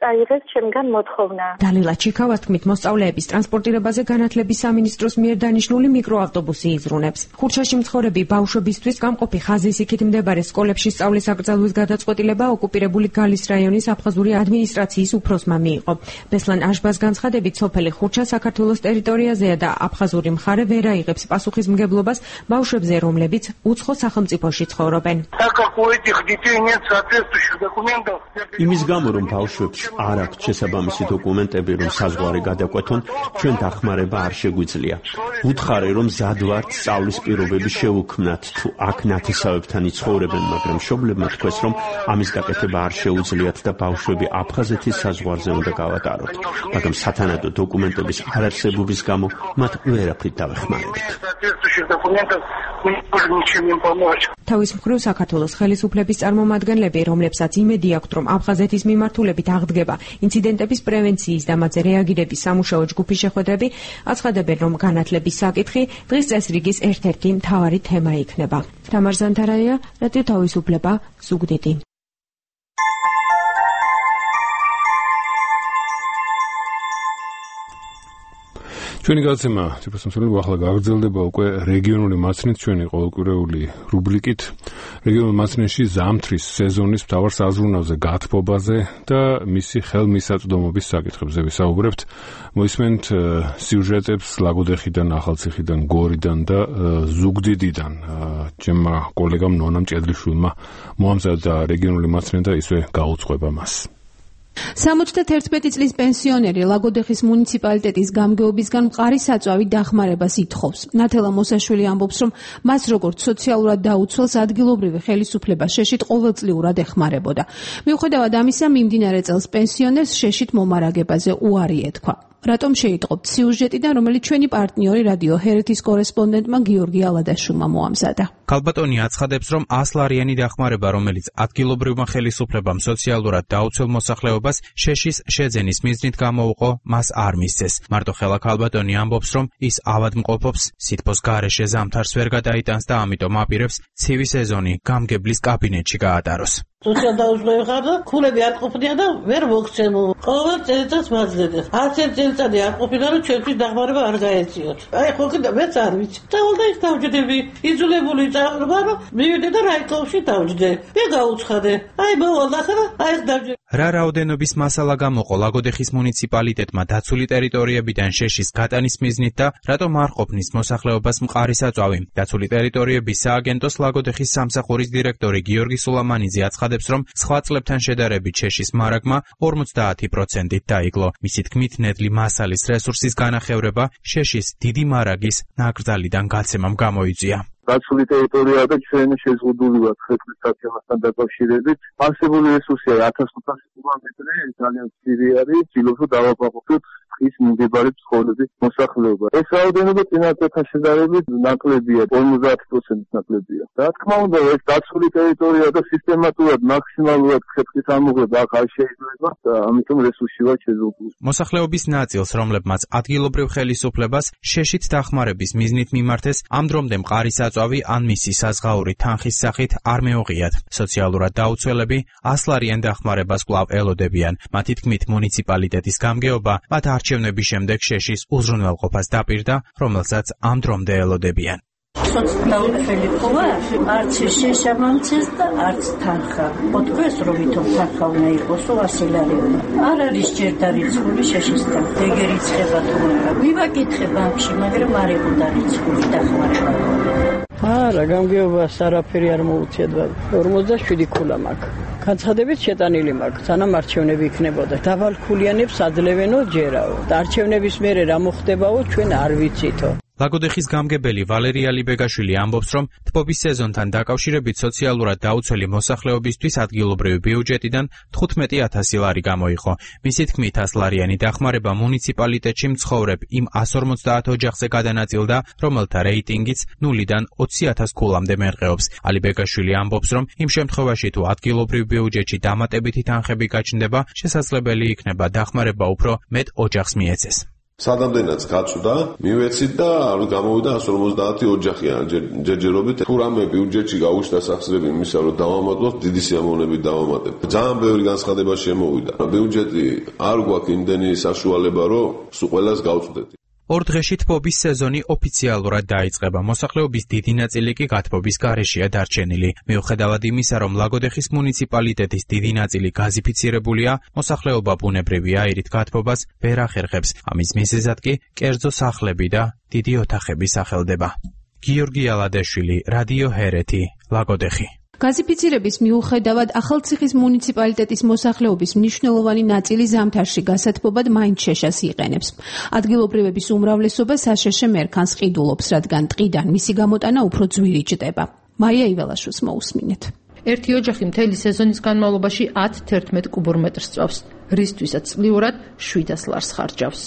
წაიღეს ჩემგან მოთხოვნა. დალილა ჩიქავას თქმით, მოსწავლეების ტრანსპორტირებაზე განათლების სამინისტროს მიერ დანიშნული მიკროავტობუსი იზრუნებს. ხურჩაში მცხოვრები ბავშვებისთვის გამყოფი ხაზის იქით მდებარე სკოლებში სწავლის აკრძალვის გადაწყვეტილება ოკუპირებული გალის რაიონის აფხაზური ადმინისტრაციის უფროსმა მიიღო. ბესლან აშბას განცხადებით, სოფელი ხურჩა საქართველოს ტერიტორიაზეა და აფხაზური მხარე ვერ აიღებს პასუხისმგებლობას ბავშვებზე, რომლებიც უცხო სახელმწიფოში ცხოვრობენ. იმის გამო, რომ ბავშვებს არ აქვს შესაბამისი დოკუმენტები, რომ საზღვარი გადაკვეთონ, ჩვენ დახმარება არ შეგვიძლია. ვუთხარი, რომ მზად ვართ სწავლის პირობები შევუქმნათ, თუ აქ ნათესავებთან იცხოვრებენ, მაგრამ მშობლებმა თქვეს, რომ ამის გაკეთება არ შეუძლიათ და ბავშვები აფხაზეთის საზღვარზე უნდა გავატაროთ. მაგრამ სათანადო დოკუმენტების არარსებობის გამო მათ ვერაფრით დავეხმარებთ. თავის მხრივ საქართველოს ხელისუფლების წარმომადგენლები, რომლებსაც იმედი აქვთ, რომ აფხაზეთის მიმართულებით აღდგება ინციდენტების პრევენციის და მათზე რეაგირების სამუშაო ჯგუფის შეხვედრები, აცხადებენ, რომ განათლების საკითხი დღის წესრიგის ერთ-ერთი მთავარი თემა იქნება. თამარ ზანთარაია, რადიო თავისუფლება, ზუგდიდი. ჩვენი გადაცემა ციფროსამსახურები ახლა გაგრძელდება უკვე რეგიონული მასწავლით ჩვენი ყოველკვირეული რუბრიკით. რეგიონულ მასწავლში ზამთრის სეზონის მთავარ საზრუნავზე, გათბობაზე და მისი ხელმისაწვდომობის საკითხებზე ვისაუბრებთ. მოისმენთ სიუჟეტებს ლაგოდეხიდან, ახალციხიდან, გორიდან და ზუგდიდიდან. ჩემმა კოლეგამ ნონა მჭედლიშვილმა მოამზადა რეგიონული მასწავლი და ისე გაუძღვება მას. სამოცდაერთი წლის პენსიონერი ლაგოდეხის მუნიციპალიტეტის გამგეობისგან მყარი საწვავი დახმარებას ითხოვს. ნათელა მოსაშვილი ამბობს, რომ მას როგორც სოციალურად დაუცველს ადგილობრივი ხელისუფლება შეშით ყოველწლიურად ეხმარებოდა. მიუხედავად ამისა, მიმდინარე წელს პენსიონერს შეშით მომარაგებაზე უარი ეთქვა. რატომ შეიტყობთ სიუჟეტიდან, რომელიც ჩვენი პარტნიორი რადიო ჰერეთის კორესპონდენტმა გიორგი ალადაშვილმა მოამზადა. ქალბატონი აცხადებს, რომ ასლარიანი დახმარება, რომელიც ადგილობრივმა ხელისუფლებამ სოციალურად დაუცველ მოსახლეობას შეშის შეძენის მიზნით გამოუყო, მას არ მისცეს. მარტო ხელა ქალბატონი ამბობს, რომ ის ავადმყოფობს, სითბოს გარეშე ზამთარს ვერ გადაიტანს და ამიტომ აპირებს ცივი სეზონი გამგებლის კაბინეტში გაატაროს. სოციალ დაუცველობა და ქულები არ ყოფნია და ვერ მოგცემო. ყოველ წელიწადს მაძლევდა. არც ერთ წელიწადი არ ყოფილა, რომ ჩვენთვის დახმარება არ გაეწიოთ. აი ხო კიდე მეც არ ვიცი. და ის დავჯდები, იძულებული წავრობა, რომ მივიდე და რაიკოვში დავჯდე. მე გაუცხადე. აი მოვალ ახლა, აი დავჯდე. რა რაოდენობის მასალა გამოყო ლაგოდეხის მუნიციპალიტეტმა დაცული ტერიტორიებიდან შეშის გატანის მიზნით და რატომ არ ყოფნის მოსახლეობას მყარი საწვავი? დაცული ტერიტორიების სააგენტოს ლაგოდეხის სამსახურის დირექტორი გიორგი სულამანიძე აცხადებს, რომ სხვა წლებთან შედარებით შეშის მარაგმა ორმოცდაათი პროცენტით დაიკლო. მისი თქმით, ნედლი მასალის რესურსის განახევრება შეშის დიდი მარაგის ნაკრძალიდან გაცემამ გამოიწვია. დაცული ტერიტორია და ჩვენ შეზღუდული ვართ ხეთქვის სტაციონასთან დაკავშირებით. არსებული რესურსია ათას ოთხასი კილომეტრი, ძალიან ძლიერი არის, ვცდილობთ დავაბაღოთ ის მიმდებარე ცხოვრების მოსახლეობა. ეს რაოდენობა წინა წელთან შედარებით ნაკლებია, ორმოცდაათ პროცენტით ნაკლებია. რა თქმა უნდა, ეს დაცული ტერიტორია და სისტემატურად მაქსიმალურად ხეთქვის ამოღება აქ არ შეიძლება და ამიტომ რესურსი ვარ შეზღუდული. მოსახლეობის ნაწილს, რომლებმაც ადგილობრივ ხელისუფლებას შეშით დახმარების მიზნით მიმართეს, ამ დრომდე მყარი საწვავი ან მისი საზღაური თანხის სახით არ მეუღიათ. სოციალურად დაუცველები ასლარიან დახმარებას კვლავ ელოდებიან. მათი თქმით, მუნიციპალიტეტის გამგეობა მათ არჩევნების შემდეგ შეშის უზრუნველყოფას დაპირდა, რომელსაც ამ დრომდე ელოდებიან. სოციალურები ხოა, არც შეშამამცეს და არც თანხა. მოთქვეს, რომ ვითომ თანხა უნდა იყოს ასი ლარი. არ არის ჯერ დარიცხული შეშის თანხა. ეგ ერიცხება თუ არა. მივაკითხე ბანკში, მაგრამ არ იყო დარიცხული დახმარება. არა, გამგეობას არაფერი არ მოუწიათ. ორმოცდაშვიდი ქულა მაქვს. განცხადებით შეტანილი მაქვს, სანამ არჩევნები იქნებოდა. დავალქულიანებს ადლევენო ჯერაო. არჩევნების მერე რა მოხდებაო, ჩვენ არ ვიცითო. ლაგოდეხის გამგებელი ვალერია ლიბეგაშვილი ამბობს, რომ თბობის სეზონთან დაკავშირებით სოციალურად დაუცველი მოსახლეობისთვის ადგილობრივი ბიუჯეტიდან თხუთმეტი ათასი ლარი გამოიყო. მისი თქმით, ასლარიანი დახმარება მუნიციპალიტეტში მცხოვრებ იმ εκατს ორმოცდაათ ოჯახზე გადანაწილდა, რომელთა რეიტინგიც ნულიდან ოცი ათას ქულამდე მერყეობს. ალიბეგაშვილი ამბობს, რომ იმ შემთხვევაში თუ ადგილობრივ ბიუჯეტში დამატებითი თანხები გაჩნდება, შესაძლებელი იქნება დახმარება უფრო მეტ ოჯახს მიეცეს. სადამდენაც გაწვდა, მივეცით და გამოვიდა εκατს ორმოცდაათი ოჯახიან ჯერჯერობით. თუ რამე ბიუჯეტში გაუჩნდა სახსრები იმისა, რომ დავამატოთ, დიდი სიამოვნებით დავამატებ. ძალიან ბევრი განცხადება შემოვიდა. ბიუჯეტი არ გვაქვს იმდენი საშუალება, რომ სულ ყველას გავწვდეთ. ორ დღეში თბობის სეზონი ოფიციალურად დაიწყება. მოსახლეობის დიდი ნაწილი კი გათბობის გარეშეა დარჩენილი. მიუხედავად იმისა, რომ ლაგოდეხის მუნიციპალიტეტის დიდი ნაწილი გაზიფიცირებულია, მოსახლეობა ბუნებრივი აირით გათბობას ვერ ახერხებს. ამის მიზეზად კი კერძო სახლები და დიდი ოთახები სახელდება. გიორგი ალადეშვილი, რადიო ჰერეთი, ლაგოდეხი. გაზიფიცირების მიუხედავად ახალციხის მუნიციპალიტეტის მოსახლეობის მნიშვნელოვანი ნაწილი ზამთარში გასათბობად მაინც შეშას იყენებს. ადგილობრივების უმრავლესობა საშეშე მერქანს ყიდულობს, რადგან ტყიდან მისი გამოტანა უფრო ძვირი ჭდება. მარია იველაშვილს მოусმინეთ. ერთი ოჯახი მთელი სეზონის განმავლობაში ათ თერთმეტ კუბურ მეტრს წვავს, რისთვისაც წლიურად შვიდას ლარს ხარჯავს.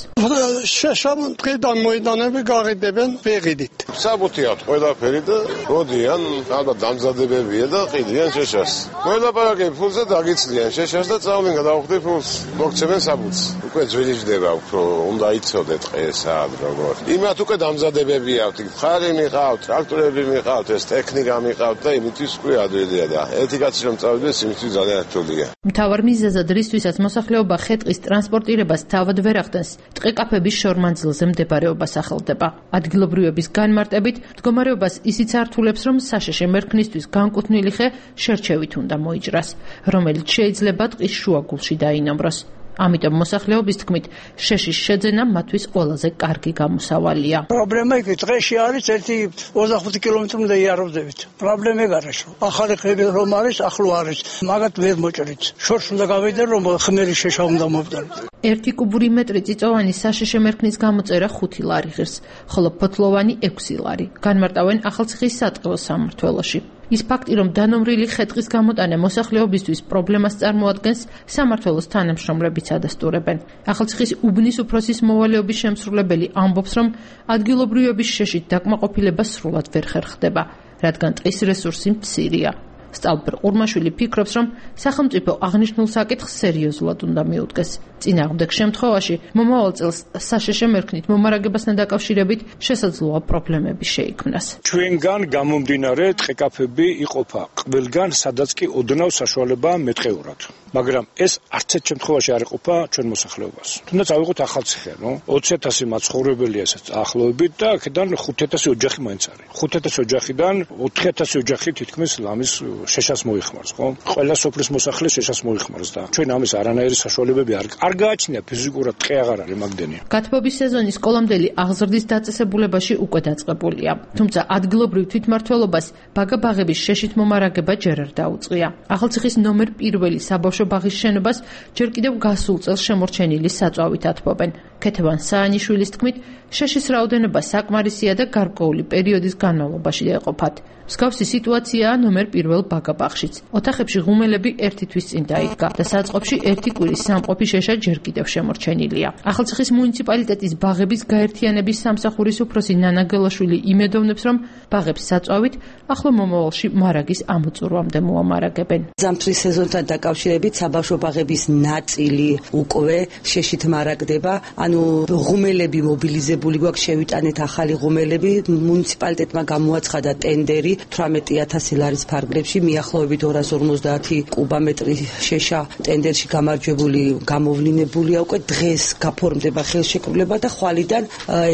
შეშამ ტყიდან მოედანები გაყიდებენ ვეღიდით. საბუთიათ ყველაფერი და როდიან, ალბათ დამზადებებია და ყიდიან შეშას. ყველაფერი ფულზე დაგიცლიან შეშას და წავლენ გადავხდით ფულს. მოგცემენ საბუთს. უკვე ძველი ჯდება უფრო, უნდა იცოდეთ ყესად როგორ. იმათ უკვე დამზადებებია, ხარი მიყავთ, ტრაქტორები მიყავთ, ეს ტექნიკა მიყავთ და იმისთვის უკვე ადვილია და ერთი კაცი რომ წავიდეს, იმისთვის ძალიან რთულია. მთავარ მიზეზად რისთვისაც მოსახლეობა ხე-ტყის ტრანსპორტირებას თავად ვერ ახდენს, ტყე-კაფების შორმანძილზე მდებარეობა სახელდება. ადგილობრივების განმარტებით, მდგომარეობას ისიც ართულებს, რომ საშეშე მერქნისთვის განკუთვნილი ხე შერჩევით უნდა მოიჭრას, რომელიც შეიძლება ტყის შუაგულში დაინამროს. ამიტომ მოსახლეობის თქმით, შეშის შეძენა მათთვის ყველაზე კარგი გამოსავალია. პრობლემა იქ დღეში არის ერთი ოცდახუთი კილომეტრი უნდა იაროვდებით. პრობლემა ეგ არის, რომ ახალი ხები რომ არის, ახლო არის, მაგათ ვერ მოჭრით. შორს უნდა გავიდე, რომ ხმელი შეშა უნდა მოვდაროთ. ერთი კუბური მეტრი წიწოვანი საშეშე მერქნის გამოწერა ხუთი ლარი ღირს, ხოლო ფოთლოვანი ექვსი ლარი. განმარტავენ ახალციხის სატყეო სამმართველოში. ის ფაქტი, რომ დანომრილი ხე-ტყის გამოტანა მოსახლეობისთვის პრობლემას წარმოადგენს, სამმართველოს თანამშრომლებიც ადასტურებენ. ახალციხის უბნის უფროსის მოვალეობის შემსრულებელი ამბობს, რომ ადგილობრივების შეშით დაკმაყოფილება სრულად ვერ ხერხდება, რადგან ტყის რესურსი მცირეა. სტალბერ ყურმაშვილი ფიქრობს, რომ სახელმწიფო აღნიშნულ საკითხს სერიოზულად უნდა მიუდგეს. წინააღმდეგ შემთხვევაში მომავალ წელს საშეშე მერქნით მომარაგებასთან დაკავშირებით შესაძლოა პრობლემები შეიქმნას. ჩვენგან გამომდინარე ტყე-კაფები იყოფა ყველგან, სადაც კი ოდნავ საშუალებაა მეტყეურად. მაგრამ ეს არც ერთ შემთხვევაში არ იყოფა ჩვენ მოსახლეობას. თუნდაც ავიღოთ ახალციხე, ნუ ოცი ათასი მაცხოვრებელია ეს ახლობებით და აქედან ხუთი ათასი ოჯახი მაინც არის. ხუთი ათასი ოჯახიდან ოთხი ათასი ოჯახი თითქმის ლამის შეშას მოიხმარს, ხო? ყველა სოფლის მოსახლე შეშას მოიხმარს და ჩვენ ამის არანაირი საშუალებები არ არ გააჩნია ფიზიკურად ტყე აღარ არის მაგდენი. გათბობის სეზონის კოლომდელი აღზრდის დაწესებულებაში უკვე დაწყებულია. თუმცა ადგილობრივ თვითმმართველობას ბაგა-ბაღების შეშით მომარაგება ჯერ არ დაუწყია. ახალციხის ნომერ პირველი საბავშვო ბაღის შენობას ჯერ კიდევ გასულ წელს შემორჩენილი საწვავით ათბობენ. ქეთევან საანიშვილის თქმით, შეშის რაოდენობა საკმარისია და გარკვეული პერიოდის განმავლობაში ეყოფათ. მსგავსი სიტუაციაა ნომერ პირველ ბაგაბაღშიც. ოთახებში ღუმელები ერთი თვის წინ დაიდგა და საწყობში ერთი კვირის სამყოფი შეშა ჯერ კიდევ შემორჩენილია. ახალციხის მუნიციპალიტეტის ბაღების გაერთიანების სამსახურის უფროსი ნანა გელაშვილი იმედოვნებს, რომ ბაღებს საწვავით ახლო მომავალში მარაგის ამოწურვამდე მოამარაგებენ. ზამთრის სეზონთან დაკავშირებით საბავშვო ბაღების ნაწილი უკვე შეშით მარაგდება, ანუ ღუმელები მობილიზებული გვაქვს, შევიტანეთ ახალი ღუმელები, მუნიციპალიტეტმა გამოაცხადა ტენდერი თვრამეტი ათასი ლარის ფარგლებში, მიახლოებით ორას ორმოცდაათი კუბამეტრი შეშა ტენდერში გამარჯვებული გამოვლინებულია, უკვე დღეს გაფორმდება ხელშეკრულება და ხვალიდან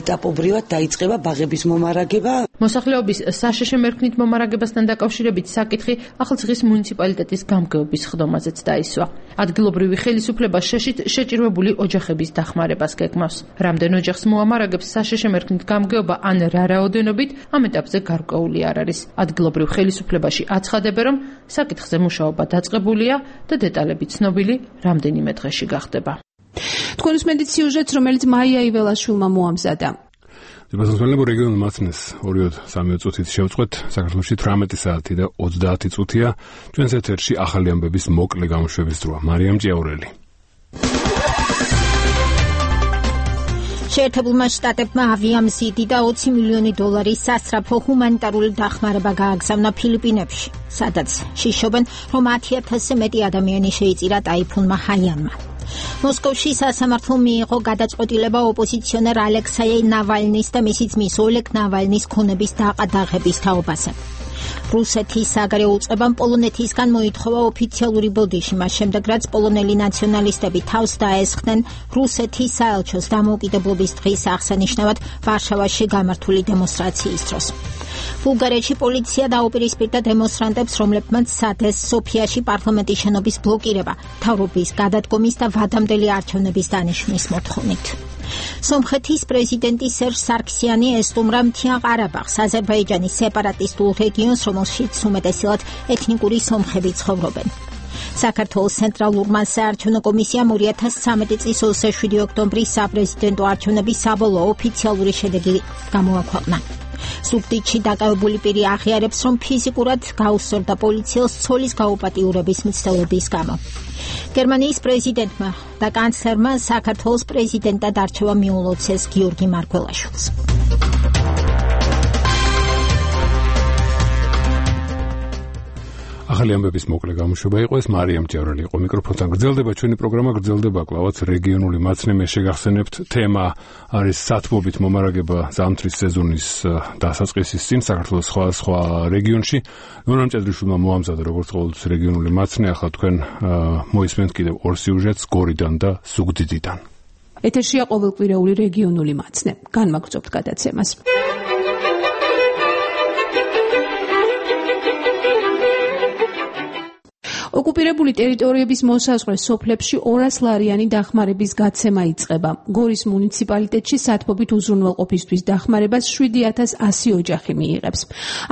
ეტაპობრივად დაიწყება ბაღების მომარაგება. მოსახლეობის საშეშე მერქნით მომარაგებასთან დაკავშირებით საკითხი ახალციხის მუნიციპალიტეტის გამგეობის ხდომაზეც დაისვა. ადგილობრივი ხელისუფლება შეშით შეჭირვებული ოჯახების დახმარებას გეგმავს. რამდენ ოჯახს მოამარაგებს საშეშე მერქნით გამგეობა ან რა რაოდენობით, ამ ეტაპზე გარკვეული არ არის. ადგილობრივ ხელისუფლებაში აცხადებენ, რომ საკითხზე მუშაობა დაწყებულია და დეტალები ცნობილი რამდენიმე დღეში გახდება. თქვენ უსმენთ სიუჟეტს, რომელიც მაია იველაშვილმა მოამზადა. დებასმელებო რეგიონულ მაცნეს ორი სამი წუთით შევწყვეთ. საქართველოში თვრამეტი საათი და ოცდაათი წუთია. ჩვენს ეთერში ახალი ამბების მოკლე გამოშვების დროა. მარიამ ჭიაურელი. შეერთებულმა შტატებმა ავიამზიდი და ოცი მილიონი დოლარის სასწრაფო ჰუმანიტარული დახმარება გააგზავნა ფილიპინებში, სადაც შიშობენ, რომ ათი ათასზე მეტი ადამიანი შეიწირა ტაიფუნმა ჰაიანმა. მოსკოვში სასამართლომ მიიღო გადაწყვეტილება ოპოზიციონერ ალექსეი ნავალნის და მისი ძმის ოლეგ ნავალნის ქონების დაყადაღების თაობაზე. რუსეთის საგარეო უწყებამ პოლონეთისგან მოითხოვა ოფიციალური ბოდიში, მას შემდეგ რაც პოლონელი ნაციონალისტები თავს დაესხდნენ რუსეთის საელჩოს დამოუკიდებლობის დღის აღსანიშნავად ვარშავაში გამართული დემონსტრაციის დროს. ბულგარეთში პოლიცია დაუპირისპირდა დემონსტრანტებს, რომლებმაც სცადეს სოფიაში პარლამენტის შენობის ბლოკირება, მთავრობის გადადგომის და ვადამდელი არჩევნების დანიშვნის მოთხოვნით. სომხეთის პრეზიდენტი სერჟ სარქსიანი ესტუმრა მთიან ყარაბაღს, აზერბაიჯანის სეპარატისტულ რეგიონს, რომელშიც უმეტესად ეთნიკური სომხები ცხოვრობენ. საქართველოს ცენტრალურმა საარჩევნო კომისიამ ორი ათას ცხრამეტი წლის ოცდაშვიდი ოქტომბრის საპრეზიდენტო არჩევნების საბოლოო ოფიციალური შედეგი გამოაქვეყნა. სუბტიტრში დაკავებული პირი აღიარებს, რომ ფიზიკურად გაუსწორდა პოლიციელს ცოლის გაუპატიურების მცდელობის გამო. გერმანიის პრეზიდენტმა და კანცლერმა საქართველოს პრეზიდენტად არჩევა მიულოცეს გიორგი მარგველაშვილს. ახალი ამბების მოკლე გამოშვება იყო ეს. მარიამ ჭიაურელი იყო მიკროფონთან. გრძელდება ჩვენი პროგრამა, გრძელდება კლავაც რეგიონული მაცნე. მე შეგახსენებთ, თემა არის სათბობით მომარაგება ზამთრის სეზონის დასაწყისის წინ საქართველოს სხვა სხვა რეგიონში. ნონა მჭედრიშვილმა მოამზადა როგორც ყოველთვის რეგიონული მაცნე. ახლა თქვენ მოისმენთ კიდევ ორ სიუჟეტს გორიდან და ზუგდიდიდან. ეთერშია ყოველკვირეული რეგიონული მაცნე. განმაგრძობთ გადაცემას. ოკუპირებული ტერიტორიების მოსაზღვრე სოფლებში ორას ლარიანი დახმარების გაცემა იწყება. გორის მუნიციპალიტეტში სათბობით უზრუნველყოფისთვის დახმარებას შვიდი ათას ასი ოჯახი მიიღებს.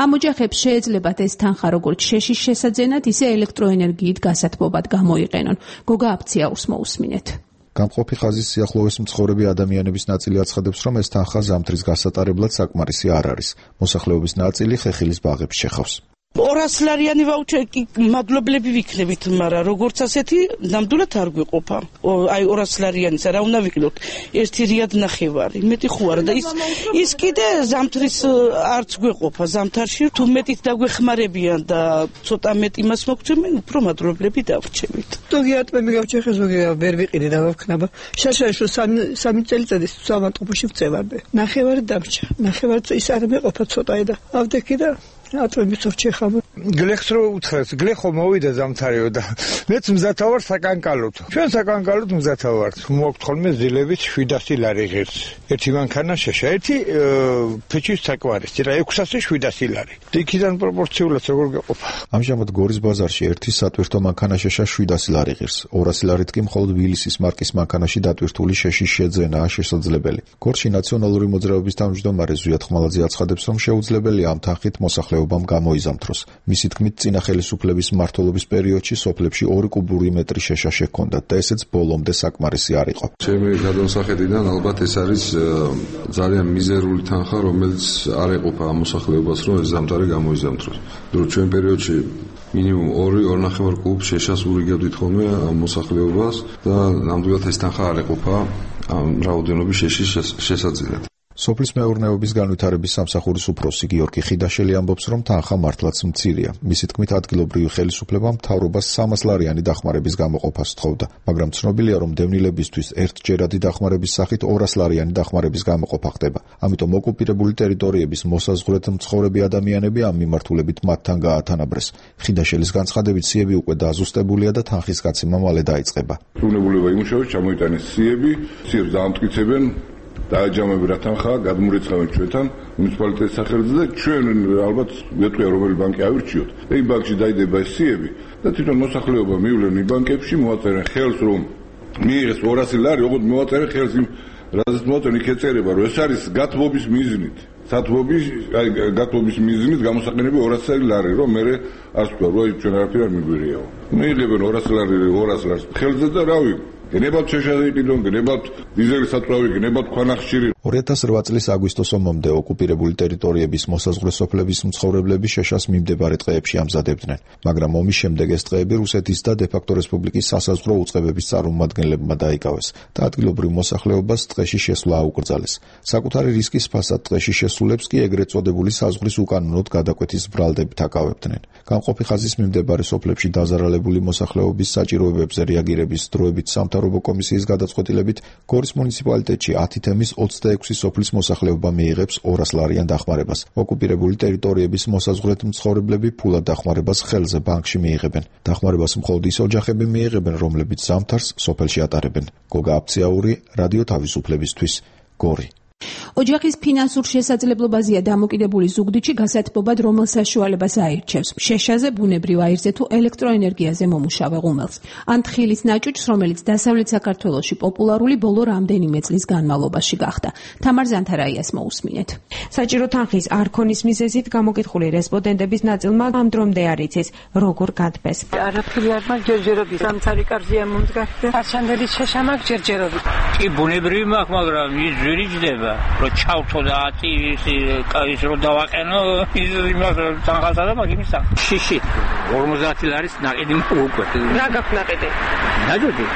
ამ ოჯახებს შეეძლებათ ეს თანხა როგორც შეშის შესაძენად, ისე ელექტროენერგიით გასათბობად გამოიყენონ. გოგა აფციაურს მოусმინეთ. გამყოფი ხაზის სიახლოვეს მცხოვრები ადამიანების ნაწილი აცხადებს, რომ ეს თანხა ზამთრის გასატარებლად საკმარისი არ არის. მოსახლეობის ნაწილი ხეხილის ბაღებს შეხავს. ორას ლარიანი ვაუჩერი მადლობლები ვიქნებით, მაგრამ როგორც ასეთი ნამდვილად არ გვიყოფა. აი ორას ლარიანისა რა უნდა ვიყიდოთ? ერთი რიად ნახევარი, მეტი ხო არა და ის ის კიდე ზამთრის არც გვეყოფა. ზამთარში თუ მეტით დაგვეხმარებიან და ცოტა მეტი იმას მოგცემენ, უფრო მადლობლები დავრჩებით. ზოგი ატმები გავჩეხე, ზოგი ვერ ვიყიდე და ვქნაბა. შაშაშო სამი წელიწადი სამატყუში ვწევარდე. ნახევარი დამჭა. ნახევარი ის არ მეყოფა ცოტაი და ავდექი და ატვები წორჩეხავ. გლეხს რო უთხრეს, გლეხო მოვიდა ზამთარიო და მეც მზათა ვარ საკანკალოდ. ჩვენ საკანკალოდ მზათა ვართ. მოგთ ხოლმე ზილებით შვიდასი ლარი ღირს. ერთი მანქანა შეშა, ერთი ფეჩის საკვარისი, რა ექვსასი შვიდასი ლარი. იქიდან პროპორციულად როგორ გაყოფა. ამჟამად გორის ბაზარში ერთი სატვირთო მანქანა შეშა შვიდასი ლარი ღირს. ორასი ლარით კი მხოლოდ ვილისის მარკის მანქანაში დატვირთული შეშის შეძენაა შესაძლებელი. გორში ნაციონალური მოძრაობის თავმჯდომარე ზვიად ხმალაძე აცხადებს, რომ შეუძლებელია ამ თანხით მოსახლეობა მოსახლეობამ გამოიზამთროს. მისი თქმით, წინა ხელისუფლების მმართველობის პერიოდში სოფლებში ორი კუბური მეტრი შეშა შექონდათ და ესეც ბოლომდე საკმარისი არ იყო. ჩემი გადამსახედიდან ალბათ ეს არის ძალიან მიზერული თანხა, რომელიც არ ეყოფა ამ მოსახლეობას, რომ ეს ზამთარი გამოიზამთროს. რომ ჩვენ პერიოდში მინიმუმ ორი ორნახევარ კუბ შეშას ურიგებდით ხოლმე ამ მოსახლეობას და ნამდვილად ეს თანხა არ ეყოფა ამ რაოდენობის შეშის შესაძლებლად. სოფლის მეურნეობის განვითარების სამსახურის უფროსი გიორგი ხიდაშელი ამბობს, რომ თანხა მართლაც მცირეა. მისი თქმით, ადგილობრივი ხელისუფლება მთავრობას სამას ლარიანი დახმარების გამოყოფას სთხოვდა, მაგრამ ცნობილია, რომ დევნილებისთვის ერთჯერადი დახმარების სახით ორას ლარიანი დახმარების გამოყოფა ხდება. ამიტომ ოკუპირებული ტერიტორიების მოსაზღვრეთ მცხოვრები ადამიანები ამ მიმართულებით მათთან გაათანაბრეს. ხიდაშელის განცხადებით, სიები უკვე დაზუსტებულია და თანხის გაცემა მალე დაიწყება. უვნებულება იმუშავებს, ჩამოიტანეს სიები, სიებს დაამტკიცებენ დააჯამები რა თანხა გადმურეცხავენ ჩვენთან მუნიციპალიტეტის სახელზე და ჩვენ ალბათ ვეტყვია რომელი ბანკი ავირჩიოთ და იმ ბანკში დაიდება ეს სიები და თვითონ მოსახლეობა მივლენ იმ ბანკებში მოაწერენ ხელს რომ მიიღეს ორასი ლარი ოღონდ მოაწერენ ხელს იმ რაზეც მოაწერენ იქ ეწერება რომ ეს არის გათბობის მიზნით სათბობის აი გათბობის მიზნით გამოსაყენები ორასი ლარი რომ მე არ ვთქვა რომ ჩვენ არაფერი არ მიგვირიაო მიიღებენ ორასი ლარი ორასი ლარს ხელზე და რავი გნებავთ შეშადიყიდონ, გნებავთ დიზელის საწვავი, გნებავთ ქვანახშირი. ორი ათას რვა წლის აგვისტოს ომამდე ოკუპირებული ტერიტორიების მოსაზღვრე სოფლების მცხოვრებლები შეშას მიმდებარე ტყეებში ამზადებდნენ, მაგრამ ომის შემდეგ ეს ტყეები რუსეთის და დე-ფაქტო რესპუბლიკის სასაზღვრო უწყებების წარმომადგენლებმა დაიკავეს და ადგილობრივ მოსახლეობას ტყეში შესვლა აუკრძალეს. საკუთარი რისკის ფასად ტყეში შესულებს კი ეგრეთ წოდებული საზღვრის უკანონოდ გადაკვეთის ბრალდებით აკავებდნენ. გამყოფი ხაზის მიმდებარე სოფლებში დაზარალებული მოსახლეობის საჭიროებებზე რეაგირების დროებით სამთავრობო კომისიის გადაწყვეტილებით გორის მუნიციპალიტეტში ათი თემის ოცდაექვსი სოფლის მოსახლეობა მიიღებს ორას ლარიან დახმარებას. ოკუპირებული ტერიტორიების მოსაზღვრეთ მცხოვრებლები ფულად დახმარებას ხელზე ბანკში მიიღებენ. დახმარებას მხოლოდ ის ოჯახები მიიღებენ, რომლებიც ზამთარს სოფელში ატარებენ. გოგა აფციაური, რადიო თავისუფლებისთვის, გორი. ოჯახის ფინანსურ შესაძლებლობაზეა დამოკიდებული ზუგდიდში გასათბობად რომელ საშუალებას აირჩევს შეშაზე ბუნებრივ აირზე თუ ელექტროენერგიაზე მომუშავე ღუმელს ან თხილის ნაჭუჭს რომელიც დასავლეთ საქართველოში პოპულარული ბოლო რამდენიმე წლის განმავლობაში გახდა თამარ ზანთარაიას მოусმინეთ საჭირო თანხის არ ქონის მიზეზით გამოკითხული რესპონდენტების ნაწილმა ამ დრომდე არ იცის როგორ გადბეს არაფერი არ მაქვს ჯერჯერობით სამცარი კარზეა მომძგახდა არჩანდელის შეშა მაქვს ჯერჯერობით კი ბუნებრივი მაქვს მაგრამ ის ძვირი ჯდება რომ ჩავთო და ის ის რომ დავაყენო ის იმას თანხასა და მაგ იმის შიში ორმოცდაათი ლარის ნაკედი უკვე რა გაქვს ნაკედი დაჯოდი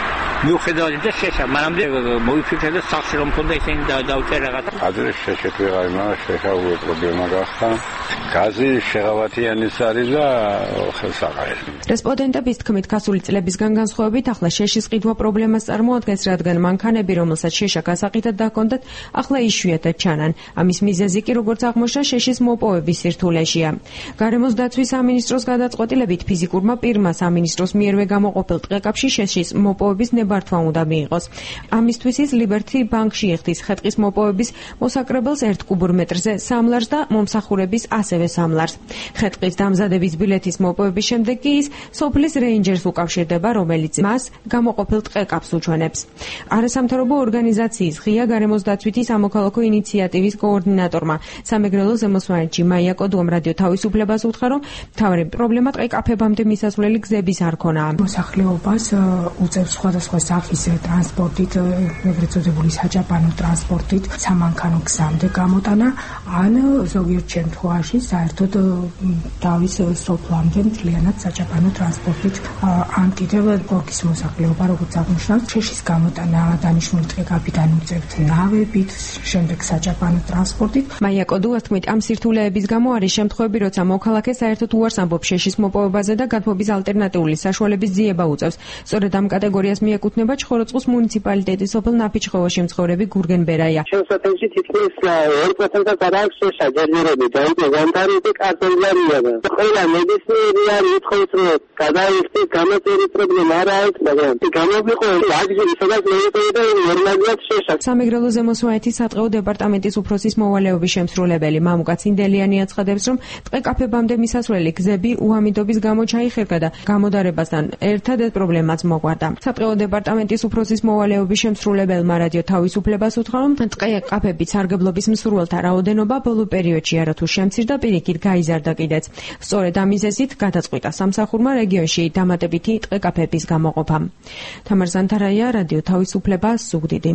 მიუხედავად იმისა შეშა მანამდე მოიფიქრე და სახში რომ მქონდა ისინი დავწერე რაღაც ადრე შეშეთ ვეღარ იმაა შეშა უე პრობლემა გახდა გაზი შეღავათიანის არის და ხელსაყრელი რესპონდენტების თქმით გასული წლებისგან განსხვავებით ახლა შეშის ყიდვა პრობლემას წარმოადგენს რადგან მანქანები რომელსაც შეშა გასაყიდად დაქონდათ ახლა იშვიათად ჩანან ამის მიზეზი კი როგორც აღმოჩნდა შეშის მოპოვების სირთულეშია გარემოს დაცვის სამინისტროს გადაწყვეტილებით ფიზიკურმა პირმა სამინისტროს მიერვე გამოყოფილ ტყეკაპში შეშის მოპოვების ნებართვა უნდა მიიღოს ამისთვის ის ლიბერტი ბანკში იხდის ხეტყის მოპოვების მოსაკრებელს ერთ კუბურ მეტრზე სამ ლარს და მომსახურების ასევე სამ ლარს ხეტყის დამზადების ბილეთის მოპოვების შემდეგ კი ის სოფლის რეინჯერს უკავშირდება რომელიც მას გამოყოფილ ტყეკაპს უჩვენებს არასამთავრობო ორგანიზაციის ღია გარემოს დაცვითი სამოქალაქო ინიციატივის კოორდინატორმა სამეგრელო ზემოსვანეთში მაია კოდუამ რადიო თავისუფლებას უთხრა რომ მთავარი პრობლემა ტყეკაფებამდე მისასვლელი გზების არ ქონაა მოსახლეობას უწევს სხვადასხვა სახის ტრანსპორტით ეგრეთ წოდებული საჭაპანო ტრანსპორტით სამანქანო გზამდე გამოტანა ან ზოგიერთ შემთხვევაში საერთოდ თავის სოფლამდე მთლიანად საჭაპანო ტრანსპორტით ან კიდევ გორკის მოსახლეობა როგორც აღნიშნავს შეშის გამოტანა დანიშნული ტყეკაფიდან უწევთ ნავებით შემდეგ საჭაპანო ტრანსპორტით მაია კოდუას თქმით ამ სირთულეების გამო არის შემთხვევები როცა მოქალაქე საერთოდ უარს ამბობს შეშის მოპოვებაზე და გადმობის ალტერნატიული საშუალების ძიება უწევს სწორედ ამ კატეგორიას მიეკუთვნება ჩხოროწყუს მუნიციპალიტეტის სოფელ ნაფიჩხევაში მცხოვრები გურგენ ბერაია შესაძლოა თითქმის ორი პროცენტი გადააქვს შეშაჯერები და იქ განტარები კარტელია და ყველა მედიცინური არის უთხოვს რომ გადაიხდეს გამოწერი პრობლემა არ არის მაგრამ გამოვიყო აგზი სადაც მეიტოდა ნორმალურად შეშა სამეგრელო ზემოსვანეთის სატყეო დეპარტამენტის უფროსის მოვალეობის შემსრულებელი მამუკა ცინდელიანი აცხადებს რომ ტყეკაფებამდე მისასვლელი გზები უამიდობის გამო ჩაიხერგა და გამოდარებასთან ერთად ეს პრობლემაც მოგვარდა სატყეო დეპარტამენტის უფროსის მოვალეობის შემსრულებელმა რადიო თავისუფლებას უთხრა, რომ ტყე-ყაფების სარგებლობის მსურველთა რაოდენობა ბოლო პერიოდში არათუ შემცირდა, პირიქით გაიზარდა კიდეც. სწორედ ამ მიზეზით გადაწყვიტა სამსახურმა რეგიონში დამატებითი ტყე-ყაფების გამოყოფა. თამარ ზანთარაია, რადიო თავისუფლება, ზუგდიდი.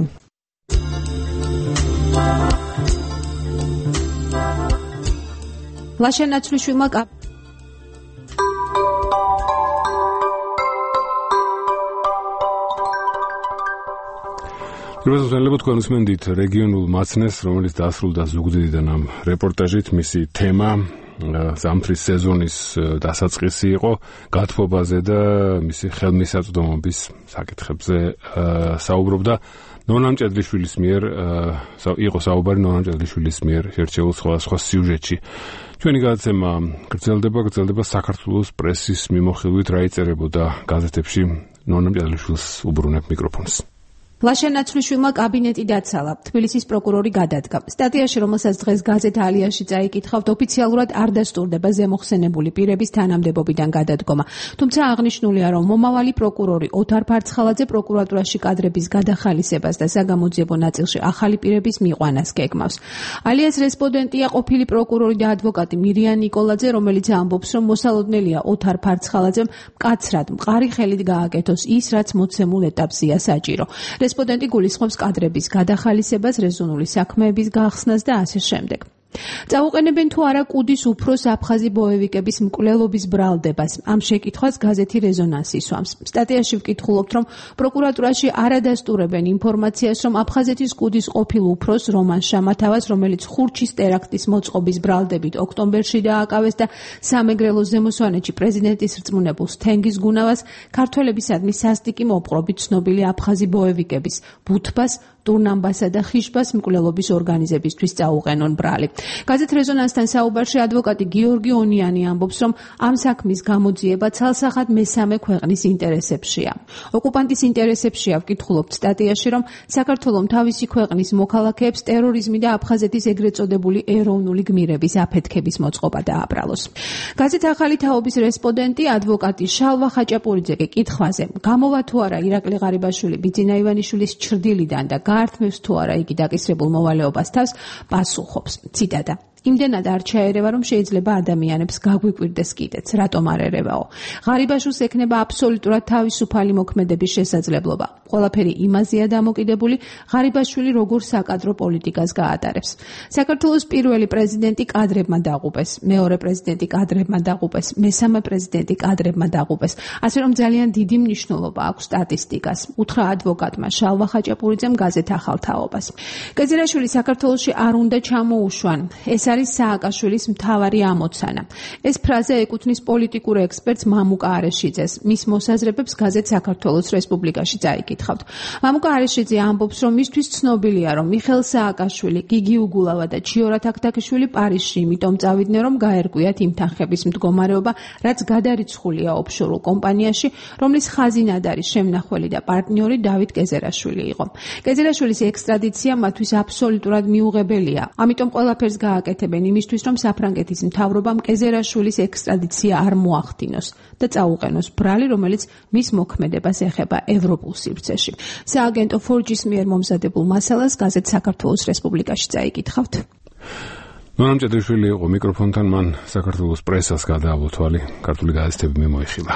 ლაშენ ნაცვლიშვილმა პირველად თქვენ უსმენთ რეგიონულ მაცნეს, რომელიც დასრულდა ზუგდიდიდან ამ რეპორტაჟით. მისი თემა ზამთრის სეზონის დასაწყისი იყო, გათბობაზე და მისი ხელმისაწვდომობის საკითხებზე საუბრობდა. ნონა მჭედლიშვილის მიერ იყო საუბარი ნონა მჭედლიშვილის მიერ შერჩეულ სხვადასხვა სიუჟეტში. ჩვენი გადაცემა გრძელდება, გრძელდება საქართველოს პრესის მიმოხილვით, რა იწერებოდა გაზეთებში. ნონა მჭედლიშვილს უბრუნებ მიკროფონს. ლაშენ ნაცვლიშვილმა კაბინეტი დაცალა. თბილისის პროკურორი გადადგა. სტატიაში, რომელსაც დღეს გაზეთ ალიაში წაიკითხავთ, ოფიციალურად არ დასტურდება ზემოხსენებული პირების თანამდებობიდან გადადგომა. თუმცა აღნიშნულია, რომ მომავალი პროკურორი ოთარ ფარცხალაძე პროკურატურაში კადრების გადახალისებას და საგამოძიებო ნაწილში ახალი პირების მიყვანას გეგმავს. ალიას რესპონდენტია ყოფილი პროკურორი და ადვოკატი მირიან ნიკოლაძე, რომელიც ამბობს, რომ მოსალოდნელია ოთარ ფარცხალაძემ მკაცრად მყარი ხელით გააკეთოს ის, რაც მოცემულ ეტაპზეა საჭირო. რესპონდენტი გულისხმობს კადრების გადახალისებას, რეზონული საქმეების გახსნას და ასე შემდეგ. წაუყენებენ თუ არა კუდის უფროს აფხაზი ბოევიკების მკვლელობის ბრალდებას. ამ შეკითხვას გაზეთი რეზონანსი სვამს. სტატიაში ვკითხულობთ, რომ პროკურატურაში არ ადასტურებენ ინფორმაციას, რომ აფხაზეთის კუდის ყოფილ უფროს რომან შამათავას, რომელიც ხურჩის ტერაქტის მოწყობის ბრალდებით ოქტომბერში დააკავეს და სამეგრელოს ზემოსვანეთში პრეზიდენტის რწმუნებულს თენგიზ გუნავას ქართველებისადმი სასტიკი მოპყრობით ცნობილი აფხაზი ბოევიკების ბუთბას, ტურნამბასა და ხიშბას მკვლელობის ორგანიზებისთვის წაუყენონ ბრალი. გაზეთ რეზონანსთან საუბარში ადვოკატი გიორგი ონიანი ამბობს, რომ ამ საქმის გამოძიება ცალსახად მესამე ქვეყნის ინტერესებშია. ოკუპანტის ინტერესებშია ვკითხულობთ სტატიაში, რომ საქართველომ თავისი ქვეყნის მოქალაქეებს ტერორიზმი და აფხაზეთის ეგრეთ წოდებული ეროვნული გმირების აფეთქების მოწყობა დააბრალოს. გაზეთ ახალი თაობის რესპონდენტი ადვოკატი შალვა ხაჭაპურიძე კითხვაზე, გამოვა თუ არა ირაკლი ღარიბაშვილი ბიძინა ივანიშვილის ჩრდილიდან და გაართმევს თუ არა იგი დაკისრებულ მოვალეობას თავს, პასუხობს. ციტატა: იმდენად არ ჩაერევა, რომ შეიძლება ადამიანებს გაგვიკვირდეს კიდეც, რატომ არ ერევაო. ღარიბაშვილს ექნება აბსოლუტურად თავისუფალი მოქმედების შესაძლებლობა. ყველაფერი იმაზეა დამოკიდებული, ღარიბაშვილი როგორ საკადრო პოლიტიკას გაატარებს. საქართველოს პირველი პრეზიდენტი კადრებმა დაღუპეს, მეორე პრეზიდენტი კადრებმა დაღუპეს, მესამე პრეზიდენტი კადრებმა დაღუპეს. ასე რომ ძალიან დიდი მნიშვნელობა აქვს სტატისტიკას, უთხრა ადვოკატმა შალვა ხაჭაპურიძემ გაზეთ ახალ თაობას. კეძირაშვილი საქართველოში არ უნდა ჩამოუშვან. ეს არის სააკაშვილის მთავარი ამოცანა. ეს ფრაზა ეკუთვნის პოლიტიკურ ექსპერტს მამუკა არეშიძეს. მის მოსაზრებებს გაზეთ საქართველოს რესპუბლიკაში წაიკითხავთ. მამუკა არეშიძე ამბობს, რომ მისთვის ცნობილია, რომ მიხეილ სააკაშვილი, გიგი უგულავა და ჩიორა თაქთაქიშვილი პარიზში იმიტომ წავიდნენ, რომ გაერკვიათ იმ თანხების მდგომარეობა, რაც გადარიცხულია ოფშორულ კომპანიაში, რომლის ხაზინად არის შემნახველი და პარტნიორი დავით კეზერაშვილი იყო. კეზერაშვილის ექსტრადიცია მათთვის აბსოლუტურად მიუღებელია. ამიტომ ყველაფერს გააკეთებენ იმისთვის, რომ საფრანგეთის მთავრობამ კეზერაშვილის ექსტრადიცია არ მოახდინოს და წაუყენოს ბრალი, რომელიც მის მოქმედებას ეხება ევროპულ სივრცეში. სააგენტო ფორჯის მიერ მომზადებულ მასალას გაზეთ საქართველოს რესპუბლიკაში წაიკითხავთ. ნონა მჭედლიშვილი იყო მიკროფონთან, მან საქართველოს პრესას გადაავლო თვალი, ქართული გაზეთები მიმოიხილა.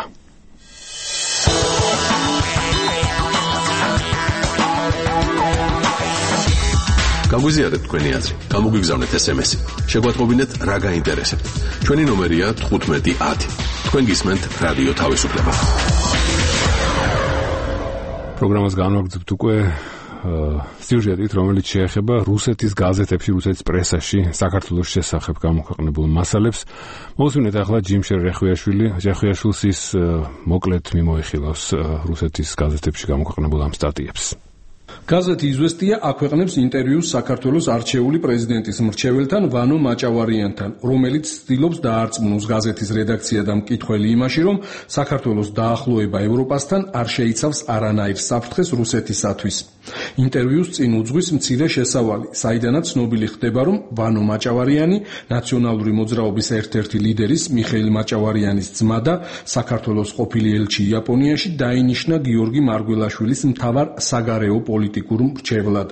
გაგვიზიარეთ თქვენი აზრი, გამოგვიგზავნეთ ეს ემ ესი. შეგვატყობინეთ რა გაინტერესებთ. ჩვენი ნომერია თხუთმეტი ათი. თქვენ გისმენთ რადიო თავისუფლება. პროგრამას განვაგრძობთ უკვე სიუჟეტით, რომელიც შეეხება რუსეთის გაზეთებში, რუსეთის პრესაში საქართველოს შესახებ გამოქვეყნებულ მასალებს. მოვუსმინეთ ახლა ჯიმშერ რეხვიაშვილი, რეხვიაშვილს ის მოკლედ მიმოიხილავს რუსეთის გაზეთებში გამოქვეყნებულ ამ სტატიებს. გაზეთი „იზვესტია“ აქვეყნებს ინტერვიუს საქართველოს არჩეული პრეზიდენტის მრჩეველთან ვანო მაჭავარიანთან, რომელიც ცდილობს დაარწმუნოს გაზეთის რედაქცია და მკითხველი იმაში, რომ საქართველოს დაახლოება ევროპასთან არ შეიცავს არანაირ საფრთხეს რუსეთისათვის. ინტერვიუს წინ უძღვის მცირე შესავალი, საიდანაც ცნობილი ხდება, რომ ვანო მაჭავარიანი ნაციონალური მოძრაობის ერთ-ერთი ლიდერის მიხეილ მაჭავარიანის ძმა და საქართველოს ყოფილი ელჩი იაპონიაში დაინიშნა გიორგი მარგველაშვილის მთავარ საგარეო პოლიტიკურ მრჩევლად.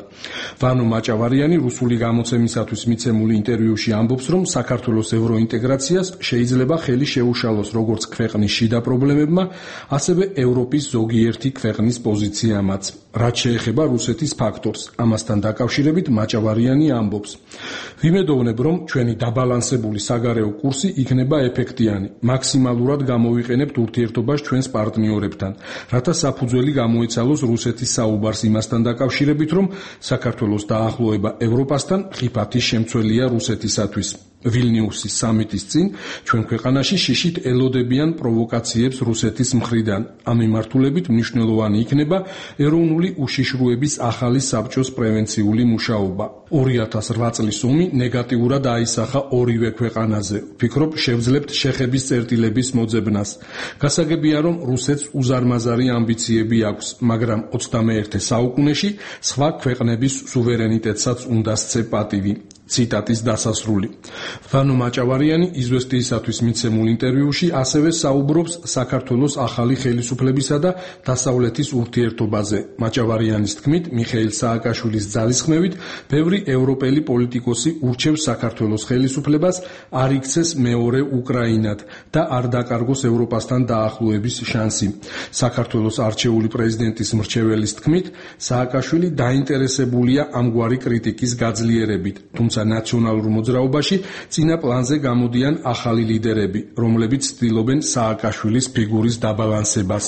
ვანო მაჭავარიანი რუსული გამოცემისათვის მიცემულ ინტერვიუში ამბობს, რომ საქართველოს ევროინტეგრაციას შეიძლება ხელი შეუშალოს როგორც ქვეყნის შიდა პრობლემებმა, ასევე ევროპის ზოგიერთი ქვეყნის პოზიციამაც. რაც შეეხება რუსეთის ფაქტორს, ამასთან დაკავშირებით მაჭავარიანი ამბობს: ვიმედოვნებ, რომ ჩვენი დაბალანსებული საგარეო კურსი იქნება ეფექტიანი, მაქსიმალურად გამოვიყენებთ ურთიერთობას ჩვენს პარტნიორებთან, რათა საფუძველი გამოეცალოს რუსეთის საუბარს იმასთან დაკავშირებით, რომ საქართველოს დაახლოება ევროპასთან ხიფათი შემცველია რუსეთისათვის. ვილნიუსის სამიტის წინ ჩვენ ქვეყანაში შიშით ელოდებიან პროვოკაციებს რუსეთის მხრიდან. ამ მიმართულებით მნიშვნელოვანი იქნება ეროვნული უშიშროების ახალი საბჭოს პრევენციული მუშაობა. ორი ათას ოთხ წლის ომი ნეგატიურად აისახა ორივე ქვეყანაზე. ვფიქრობ, შევძლებთ შეხების წერტილების მოძებნას. გასაგებია, რომ რუსეთს უზარმაზარი ამბიციები აქვს, მაგრამ ოცდამეერთე საუკუნეში სხვა ქვეყნების სუვერენიტეტსაც უნდა სცე პატივი. ციტატის დასასრული. ვანო მაჭავარიანი იზვესტიისათვის მიცემულ ინტერვიუში ასევე საუბრობს საქართველოს ახალი ხელისუფლებისა და დასავლეთის ურთიერთობაზე. მაჭავარიანის თქმით, მიხეილ სააკაშვილის ძალისხმევით, ბევრი ევროპელი პოლიტიკოსი ურჩევს საქართველოს ხელისუფლებას არ იქცეს მეორე უკრაინად და არ დაკარგოს ევროპასთან დაახლოების შანსი. საქართველოს არჩეული პრეზიდენტის მრჩეველის თქმით, სააკაშვილი დაინტერესებულია ამგვარი კრიტიკის გაძლიერებით, თუმცა ნაციონალურ მოძრაობაში წინა პლანზე გამოდიან ახალი ლიდერები, რომლებიც ცდილობენ სააკაშვილის ფიგურის დაბალანსებას.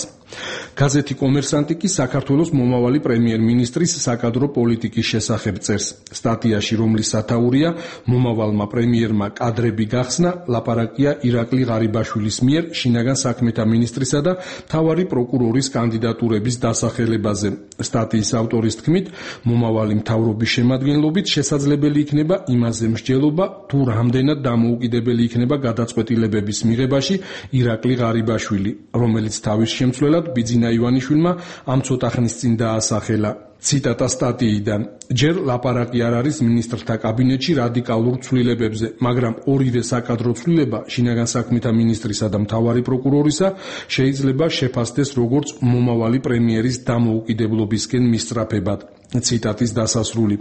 გაზეთი კომერსანტი კი საქართველოს მომავალი პრემიერ-მინისტრის საკადრო პოლიტიკის შესახებ წერს. სტატიაში, რომლის სათაურია მომავალმა პრემიერმა კადრები გახსნა, ლაპარაკია ირაკლი ღარიბაშვილის მიერ შინაგან საქმეთა მინისტრისა და მთავარი პროკურორის კანდიდატურების დასახელებაზე. სტატიის ავტორის თქმით, მომავალი მთავრობის შემადგენლობით შესაძლებელი იქნება იმაზე მსჯელობა, თუ რამდენად დამოუკიდებელი იქნება გადაწყვეტილებების მიღებაში ირაკლი ღარიბაშვილი, რომელიც თავის შემცვლელად ბიძინა ივანიშვილმა ამ ცოტა ხნის წინ დაასახელა. ციტატა სტატიიდან: ჯერ ლაპარაკი არ არის მინისტრთა კაბინეტში რადიკალურ ცვლილებებზე, მაგრამ ორივე საკადრო ცვლილება შინაგან საქმეთა მინისტრისა და მთავარი პროკურორისა შეიძლება შეფასდეს როგორც მომავალი პრემიერის დამოუკიდებლობისკენ მისწრაფებად. ციტატის დასასრული.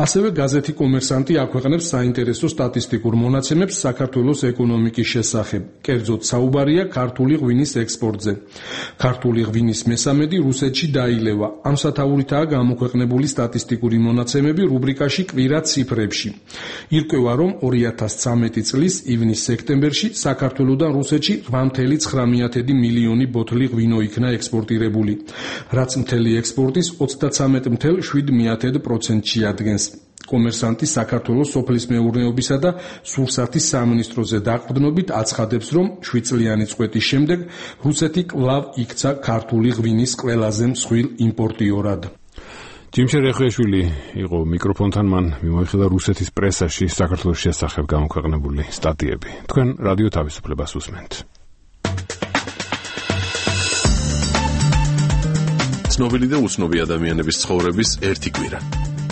ასევე გაზეთი კომერსანტი აქვეყნებს საინტერესო სტატისტიკურ მონაცემებს საქართველოს ეკონომიკის შესახებ. კერძოდ საუბარია ქართული ღვინის ექსპორტზე. ქართული ღვინის მესამედი რუსეთში დაილევა. ამ სათაურითაა გამოქვეყნებული სტატისტიკური მონაცემები რუბრიკაში კვირა ციფრებში. ირკვევა, რომ ორი ათას ცხრამეტი წლის ივნის-სექტემბერში საქართველოდან რუსეთში რვა წუთი ცხრამეტი მილიონი ბოთლი ღვინო იქნა ექსპორტირებული, რაც მთელი ექსპორტის ოცდათვრამეტ წუთი შვიდ პროცენტს ადგენს. კომერსანტი საქართველოს სოფლის მეურნეობისა და სურსათის სამინისტროზე დაყრდნობით აცხადებს, რომ შვიდ წლიანი წვეთის შემდეგ რუსეთი კვლავ იქცა ქართული ღვინის ყველაზე მსხვილ იმპორტიორად. ჯიმშე რეხვიაშვილი იყო მიკროფონთან, მან მიმოიხილა რუსეთის პრესაში საქართველოს შესახებ გამოქვეყნებული სტატიები. თქვენ რადიო თავისუფლებას უსმენთ. ცნობილი და უცნობი ადამიანების ცხოვრების ერთი კვირა.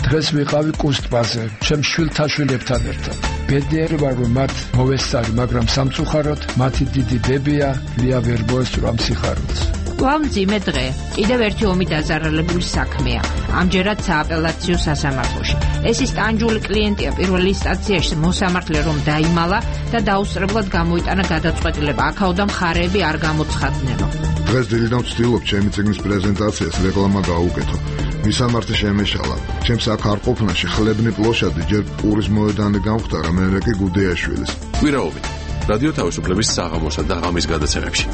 დღეს ვიყავი კუსტბაზე, ჩემ შვილთაშვილებთან ერთად. ბედნიერი ვარ, რომ მათ მოვესწარი, მაგრამ სამწუხაროდ მათი დიდი დებია ლია ვერ მოესწრო სიხარულს. კვლავ მძიმე დღე. კიდევ ერთი ომი დაზარალებული საქმეა. ამჯერად სააპელაციო სასამართლოში. ეს ის ტანჯული კლიენტია პირველ ინსტანციაში მოსამართლე რომ დაიმალა და დაუსწრებლად გამოიტანა გადაწყვეტილება. აქაოდა მხარეები არ გამოცხადნენო. დღეს დილიდან ვცდილობ ჩემი წიგნის პრეზენტაციას რეკლამა გაუკეთო. მისამართი შემეშალა. ჩემს აქ არ ყოფნაში ხლებნი პლოშადი ჯერ პურის მოედანი გამختარა, მერე კი გუდეაშვილის. კვირაობით რადიო თავისუფლების საღამოსა და ღამის გადაცემებში.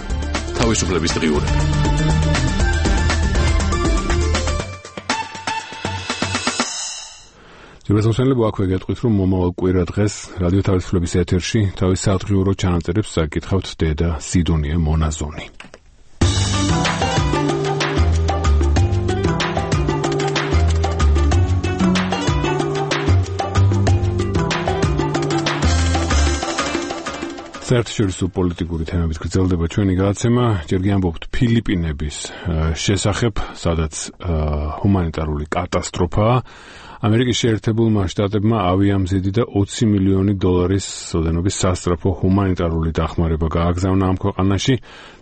თავისუფლების დღიურები. ძირითადად აქვე გეტყვით, რომ მომავალ კვირა დღეს რადიო თავისუფლების ეთერში თავის სადღიურო ჩანაწერებს საკითხავთ დედა სიდონია მონაზონი. საერთაშორისო პოლიტიკური თემებით გრძელდება ჩვენი გადაცემა. ჯერ გიამბობთ ფილიპინების შესახებ, სადაც ჰუმანიტარული კატასტროფაა. ამერიკის შეერთებულმა შტატებმა ავიამზიდი და ოცი მილიონი დოლარის ოდენობის სასწრაფო ჰუმანიტარული დახმარება გააგზავნა ამ ქვეყანაში,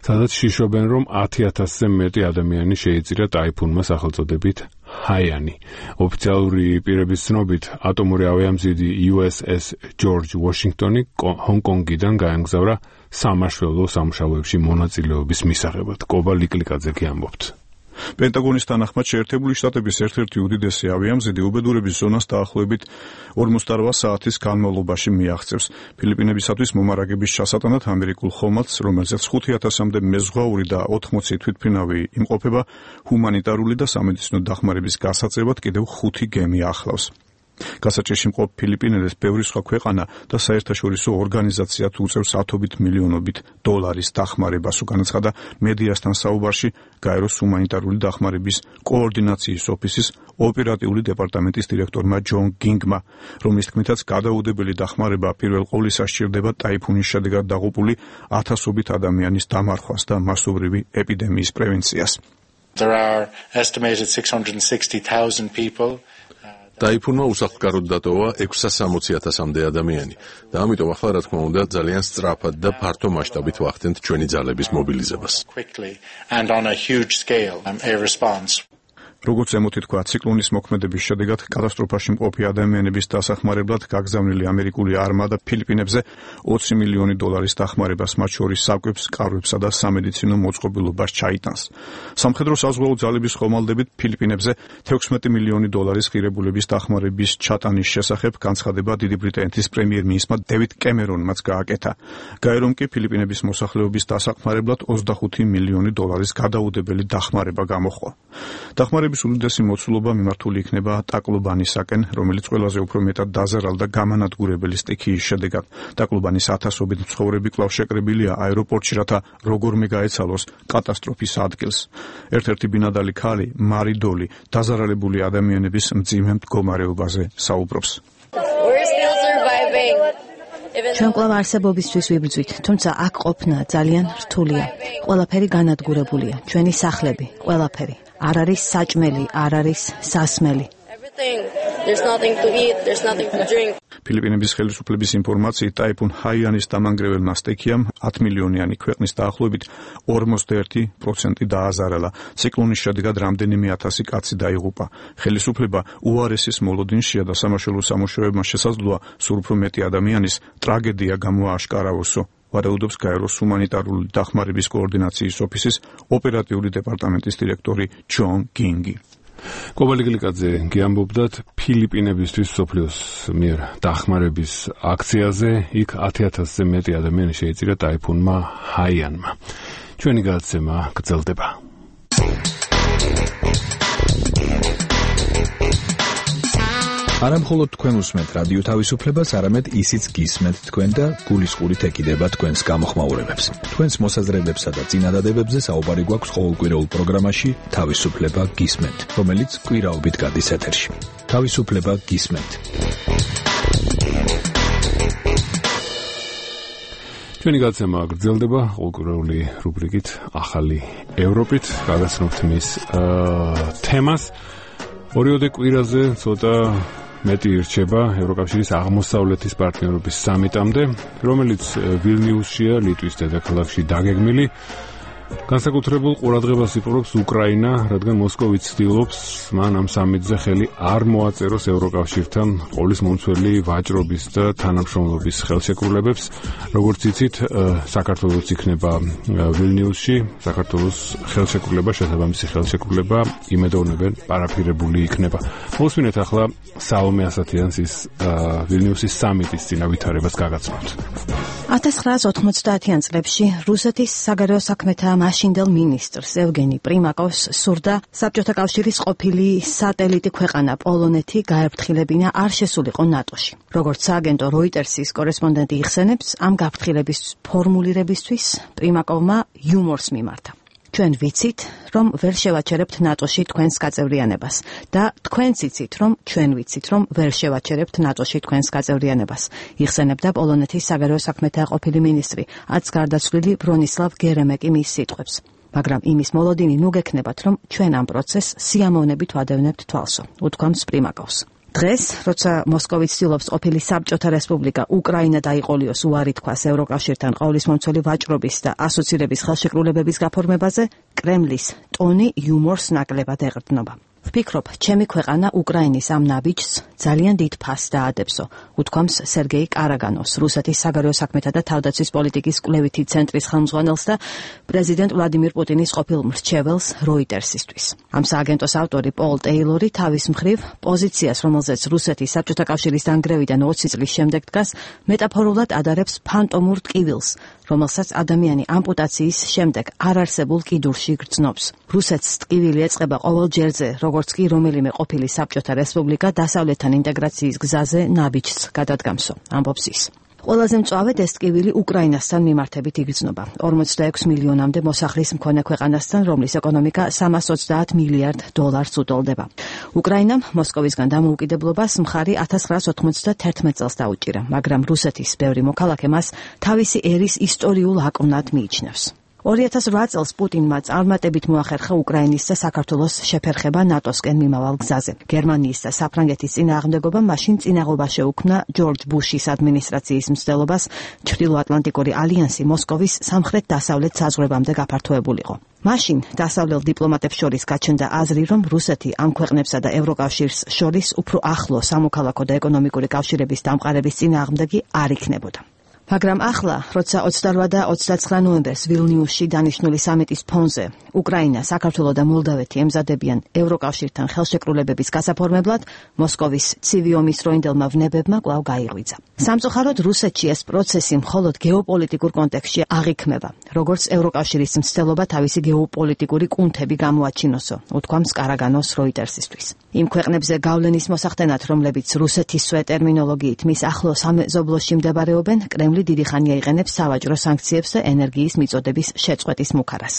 სადაც შიშობენ, რომ ათი ათასზე მეტი ადამიანი შეიწირა ტაიფუნმა სახელწოდებით ჰაიანი. ოფიციალური პირების ცნობით, ატომური ავიამზიდი იუ ეს ეს ჯორჯ ვაშინგტონი ჰონკონგიდან გაემგზავრა სამაშველო სამუშაოებში მონაწილეობის მისაღებად. კობა ლიკლიკაძე გიამბობთ. პენტაგონის თანახმად შეერთებული შტატების ერთ-ერთი უდიდესი ავიამზიდი უბედურების ზონას დაახლოებით ორმოცდარბა საათის განმავლობაში მიაღწევს. ფილიპინებისათვის მომარაგების ჩასატანად ამერიკულ ხომალდს, რომელზეც ხუთი ათასამდე მეზღვაური და ოთხმოცი თვითმფრინავი იმყოფება, ჰუმანიტარული და სამედიცინო დახმარების გასაწევად კიდევ ხუთი გემი ახლავს. გასაჭირში მყოფ ფილიპინელებს ბევრი სხვა ქვეყანა და საერთაშორისო ორგანიზაციაც უწევს ათობით მილიონობით დოლარის დახმარებას, განაცხადა მედიასთან საუბარში გაეროს ჰუმანიტარული დახმარების კოორდინაციის ოფისის ოპერატიული დეპარტამენტის დირექტორმა ჯონ გინგმა, რომლის თქმითაც გადაუდებელი დახმარება პირველ ყოვლისა სჭირდება ტაიფუნის შედეგად დაღუპული ათასობით ადამიანის დამარხვას და მასობრივი ეპიდემიის პრევენციას. There are estimated six hundred sixty thousand people. ტაიფუნმა უსახლკაროდ დატოვა ექვსასამოცი ათასამდე ადამიანი და ამიტომ ახლა რა თქმა უნდა ძალიან სწრაფად და ფართო მასშტაბით ვახდენთ ჩვენი ძალების მობილიზებას. როგორც ემოთი თქვა, ციკლონის მოქმედების შედეგად კატასტროფაში მყოფი ადამიანების დასახმარებლად გაგზავნილი ამერიკული არმადა ფილიპინებზე ოცი მილიონი დოლარის დახმარებას, მათ შორის საკვებს, კარვებსა და სამედიცინო მოწყობილობას ჩაიტანს. სამხედრო საზღვაო ძალების ხომალდებით ფილიპინებზე თექვსმეტი მილიონი დოლარის ღირებულების დახმარების ჩატანის შესახებ განცხადება დიდი ბრიტანეთის პრემიერ-მინისტრმა დევიდ კემერონმაც გააკეთა. გაერომ კი ფილიპინების მოსახლეობის დასახმარებლად ოცდახუთი მილიონი დოლარის გადაუდებელი დახმარება გამოხვა. დახმარების უდიდესი მოცულობა მიმართული იქნება ტაკლუბანისაკენ, რომელიც ყველაზე უფრო მეტად დაზარალდა გამანადგურებელი სტიქიის შედეგად. ტაკლუბანის ათასობით მცხოვრები კვლავ შეკრებილია აეროპორტში, რათა როგორმე გაეცალოს კატასტროფის ადგილს. ერთ-ერთი ბინადარი ქალი, მარი დოლი, დაზარალებული ადამიანების მძიმე მდგომარეობაზე საუბრობს. ჩვენ კვლავ არსებობისთვის ვიბრძვით, თუმცა აქ ყოფნა ძალიან რთულია. ყველაფერი განადგურებულია, ჩვენი სახლები, ყველაფერი. არ არის საჭმელი, არ არის სასმელი. ფილიპინების ხელისუფლების ინფორმაციით, ტაიფუნ ჰაიანის დამანგრეველმა სტიქიამ ათი მილიონიანი ქვეყნის დაახლოებით ორმოცდაერთი პროცენტი დააზარალა. ციკლონის შედეგად რამდენიმე ათასი კაცი დაიღუპა. ხელისუფლება უარესის მოლოდინშია და სამაშველო სამუშაოებმა შესაძლოა სულ უფრო მეტი ადამიანის ტრაგედია გამოააშკარავოსო. ვარაუდობს გაეროს ჰუმანიტარული დახმარების კოორდინაციის ოფისის ოპერატიული დეპარტამენტის დირექტორი ჯონ გინგი. კობალიგლიკაძე გიამბობდათ ფილიპინებისთვის სოფლიოს მიერ დახმარების აქციაზე, იქ ათი ათასზე მეტი ადამიანი შეიწირა ტაიფუნმა ჰაიანმა. ჩვენი გადაცემა გრძელდება. არა მხოლოდ თქვენ უსმენთ რადიო თავისუფლებას, არამედ ისიც გისმენთ თქვენ და გულისყურით ეკიდება თქვენს გამოხმაურებებს. თქვენს მოსაზრებებსა და წინადადებებზე საუბარი გვაქვს ყოველკვირეულ პროგრამაში თავისუფლება გისმენთ, რომელიც კვირაობით გადის ეთერში. თავისუფლება გისმენთ. ჩვენი გადაცემა გრძელდება ყოველკვირეული რუბრიკით ახალი ევროპით. გაგაცნობთ მის თემას. ორიოდე კვირაზე ცოტა მეტი ირჩება ევროკავშირის აღმოსავლეთის პარტნიორობის სამიტამდე, რომელიც ვილნიუსშია, ლიტვის დედაქალაქში დაგეგმილი. განსაკუთრებულ ყურადღებას იპყრობს უკრაინა, რადგან მოსკოვი ცდილობს მან ამ სამიტზე ხელი არ მოაწეროს ევროკავშირთან ყოვლის მომცველი ვაჭრობის და თანამშრომლობის ხელშეკრულებებს. როგორც იცით, საქართველოს იქნება ვილნიუსში, საქართველოს ხელშეკრულება, შესაბამისი ხელშეკრულება იმედოვნებენ პარაფირებული იქნება. მოსვინეთ ახლა საომე ასათიანს ის ვილნიუსის სამიტის წინა ვითარებას გაგაცნობთ. ათას ცხრაასი ოთხმოცდაათიან წლებში რუსეთის საგარეო საქმეთა მაშინდელ მინისტრს ევგენი პრიმაკოვს სურდა საბჭოთა კავშირის ყოფილი სატელიტი ქვეყანა პოლონეთი გაერფრთხილებინა არ შესულიყო ნატოში. როგორც სააგენტო როიტერსის კორესპონდენტი იხსენებს, ამ გაფრთხილების ფორმულირებისთვის პრიმაკოვმა იუმორს მიმართა. ჩვენ ვიცით, რომ ვერ შევაჩერებთ ნატოში თქვენს გაწევრიანებას და თქვენც იცით, რომ ჩვენ ვიცით, რომ ვერ შევაჩერებთ ნატოში თქვენს გაწევრიანებას. იხსენებდა პოლონეთის საგარეო საქმეთა ყოფილი მინისტრი, აც გარდაცვლილი ბრონისლავ გერემეკი მის სიტყვებს. მაგრამ იმის მოლოდინი ნუ გექნებათ, რომ ჩვენ ამ პროცესს სიამოვნებით ვადევნებთ თვალსო, უთქვამს პრიმაკოვს. დღეს, როცა მოსკოვი ცდილობს ყოფილი საბჭოთა რესპუბლიკა უკრაინა დაიყოლიოს უარი თქვას ევროკავშირთან ყოვლისმომცველი ვაჭრობის და ასოცირების ხელშეკრულებების გაფორმებაზე, კრემლის ტონი იუმორს ნაკლებად ეყრდნობა. ვფიქრობ, ჩემი ქვეყანა უკრაინის ამ ნაბიჯს ძალიან დიდ ფასს დაადებსო, უთქვამს სერგეი კარაგანოს, რუსეთის საგარეო საქმეთა და თავდაცვის პოლიტიკის კვლევითი ცენტრის ხელმძღვანელს და პრეზიდენტ ვლადიმირ პუტინის ყოფილ მრჩეველს როიტერსისთვის. ამ სააგენტოს ავტორი პოლ ტეილორი თავის მხრივ პოზიციას, რომელზეც რუსეთის საბჭოთა კავშირის დანგრევიდან ოცი წლის შემდეგ დგას, მეტაფორულად ადარებს ფანტომურ ტკივილს, რომელსაც ადამიანი ამპუტაციის შემდეგ არარსებულ კიდურში გრძნობს. რუსეთს ტკივილი ეწყება ყოველ ჯერზე, როგორც კი რომელიმე ყოფილი საბჭოთა რესპუბლიკა დასავლეთთან ინტეგრაციის გზაზე ნაბიჯს გადადგამსო, ამბობს ის. ყველაზე მწვავედ ეს ტკივილი უკრაინასთან მიმართებით იგრძნობა. ორმოცდაექვსი მილიონამდე მოსახლის მქონე ქვეყანასთან, რომლის ეკონომიკა სამას ოცდაათ მილიარდ დოლარს უტოლდება. უკრაინამ მოსკოვისგან დამოუკიდებლობას მხარი ათას ცხრაას ოთხმოცდათერთმეტ წელს დაუჭირა, მაგრამ რუსეთის ბევრი მოქალაქე მას თავისი ერის ისტორიულ აკვნად მიიჩნევს. ორი ათას რვა წელს პუტინმა წარმატებით მოახერხა უკრაინის და საქართველოს შეფერხება ნატოსკენ მიმავალ გზაზე. გერმანიის და საფრანგეთის წინააღმდეგობა მაშინ წინაღობა შეუქმნა ჯორჯ ბუშის ადმინისტრაციის მცდელობას ჩრდილოატლანტიკური ალიანსი მოსკოვის სამხრეთ-დასავლეთ საზღვრებამდე გაფართოებულიყო. მაშინ დასავლელ დიპლომატებს შორის გაჩნდა აზრი, რომ რუსეთი ამ ქვეყნებსა და ევროკავშირს შორის უფრო ახლო სამოქალაქო და ეკონომიკური კავშირების დამყარების წინააღმდეგი არ იქნებოდა. მაგრამ ახლა, როცა ოცდარვა და ოცდაცხრა ნოემბერს ვილნიუსში დანიშნული სამიტის ფონზე უკრაინა, საქართველო და მოლდავეთი ემზადებიან ევროკავშირთან ხელშეკრულებების გასაფორმებლად, მოსკოვის ცივი ომის დროინდელმა ვნებებმა კვლავ გაიღვიძა. სამწუხაროდ რუსეთში ეს პროცესი მხოლოდ გეოპოლიტიკურ კონტექსტში აღიქმება, როგორც ევროკავშირის მცდელობა თავისი გეოპოლიტიკური კუნთები გამოაჩინოსო, უთქვამს კარაგანოს როიტერსისთვის. იმ ქვეყნებზე გავლენის მოსახდენად, რომლებიც რუსეთისვე ტერმინოლოგიით მის ახლო სამეზობლოში მდებარეობენ, კრემლი დიდი ხანია იყენებს სავაჭრო სანქციებს და ენერგიის მიწოდების შეწყვეტის მუქარას.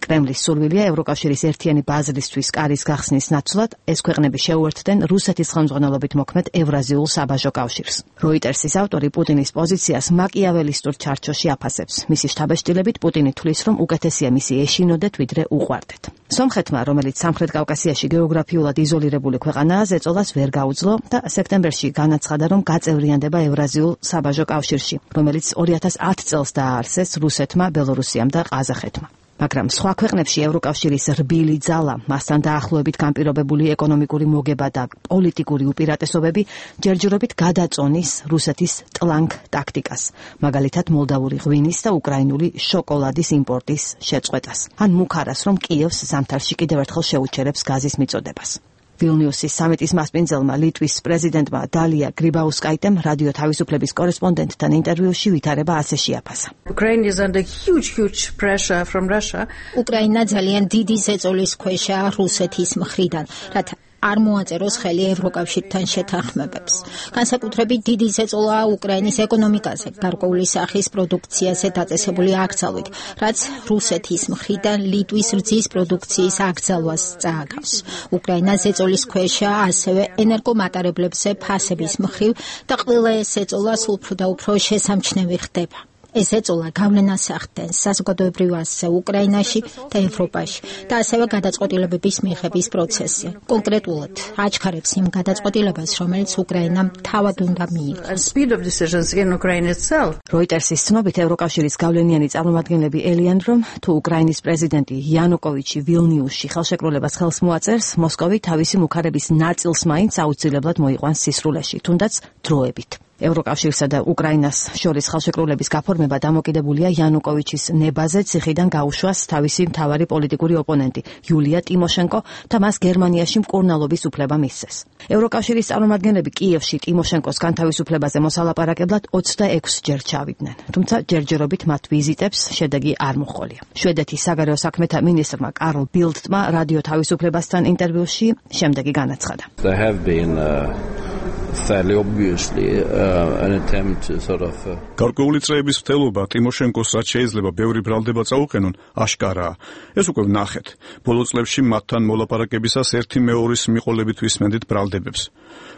კრემლის სურვილია ევროკავშირის ერთიანი ბაზრისთვის კარის გახსნის ნაცვლად ეს ქვეყნები შეუერთდნენ რუსეთის ხელმძღვანელობით მოქმედ ევრაზიულ საბაჟო კავშირს. როიტერსის ავტორი პუტინის პოზიციას მაკიაველისტურ ჩარჩოში აფასებს. მისი შთაბეჭდილებით პუტინი თვლის, რომ უკეთესია მისი ეშინოდეთ, ვიდრე უყვარდეთ. სომხეთმა, რომელიც სამხრეთ კავკასიაში გეოგრაფიულად იზოლირებული ქვეყანაა, ზეწოლას ვერ გაუძლო და სექტემბერში განაცხადა, რომ გაწევრიანდება ევრაზიულ საბაჟო კავშირში, რომელიც ორი ათას ათ წელს დააარსეს რუსეთმა, ბელორუსიამ და ყაზახეთმა. მაგრამ სხვა ქვეყნებში ევროკავშირის რბილი ძალა, მასთან დაახლოებით განპირობებული ეკონომიკური მოგება და პოლიტიკური უპირატესობები ჯერჯერობით გადაწონის რუსეთის ტლანკ ტაქტიკას, მაგალითად მოლდავური ღვინის და უკრაინული შოკოლადის იმპორტის შეწყვეტას, ან მუქარას, რომ კიევს ზამთარში კიდევ ერთხელ შეუჩერებს გაზის მიწოდებას. ვილნიუსის სამიტის მასპინძელმა ლიტვის პრეზიდენტმა დალია გრიბაუსკაიტემ რადიო თავისუფლების კორესპონდენტთან ინტერვიუში ვითარება ასე შეაფასა. უკრაინა ძალიან დიდი ზეწოლის ქვეშაა რუსეთის მხრიდან, რათა არ მოაწეროს ხელი ევროკავშირთან შეთანხმებებს. განსაკუთრებით დიდი ზეწოლაა უკრაინის ეკონომიკაზე, გარკვეული სახის პროდუქციაზე დაწესებული აკრძალვით, რაც რუსეთის მხრიდან ლიტვის რძის პროდუქციის აკრძალვას წააგავს. უკრაინა ზეწოლის ქვეშაა ასევე ენერგომატარებლებზე ფასების მხრივ და ყველა ეს ზეწოლა სულ უფრო და უფრო შესამჩნევი ხდება. ეს ეწოლა გავლენას ახდენს საზოგადოებრივ ასზე უკრაინაში და ევროპაში და ასევე გადაწყვეტილებების მიღების პროცესზე. კონკრეტულად აჩქარებს იმ გადაწყვეტილებას, რომელიც უკრაინამ თავად უნდა მიიღოს. როიტერსის ცნობით ევროკავშირის გავლენიანი წარმომადგენლები ელიან, რომ თუ უკრაინის პრეზიდენტი იანუკოვიჩი ვილნიუსში ხელშეკრულებას ხელს მოაწერს, მოსკოვი თავისი მუქარების ნაწილს მაინც აუცილებლად მოიყვანს სისრულეში, თუნდაც დროებით. ევროკავშირსა და უკრაინას შორის ხელშეკრულების გაფორმება დამოკიდებულია იანუკოვიჩის ნებაზე ციხიდან გაუშვას თავისი მთავარი პოლიტიკური ოპონენტი იულია ტიმოშენკო და მას გერმანიაში მკურნალობის უფლება მისცეს. ევროკავშირის წარმომადგენლები კიევში ტიმოშენკოს განთავისუფლებაზე მოსალაპარაკებლად ოცდაექვსი ჯერ ჩავიდნენ, თუმცა ჯერჯერობით მათ ვიზიტებს შედეგი არ მოჰყოლია. შვედეთის საგარეო საქმეთა მინისტრმა კარლ ბილდტმა რადიო თავისუფლებასთან ინტერვიუში შემდეგი განაცხადა. fairly obviously uh, an attempt to sort of გარკვეული წრეების ვთელობა ტიმოშენკოს რაც შეიძლება ბევრი ბრალდება წაუყენონ აშკარაა. ეს უკვე ვნახეთ. ბოლო წლებში მათთან მოლაპარაკებისას ერთი მეორის მიყოლებით ვისმენდით ბრალდებებს.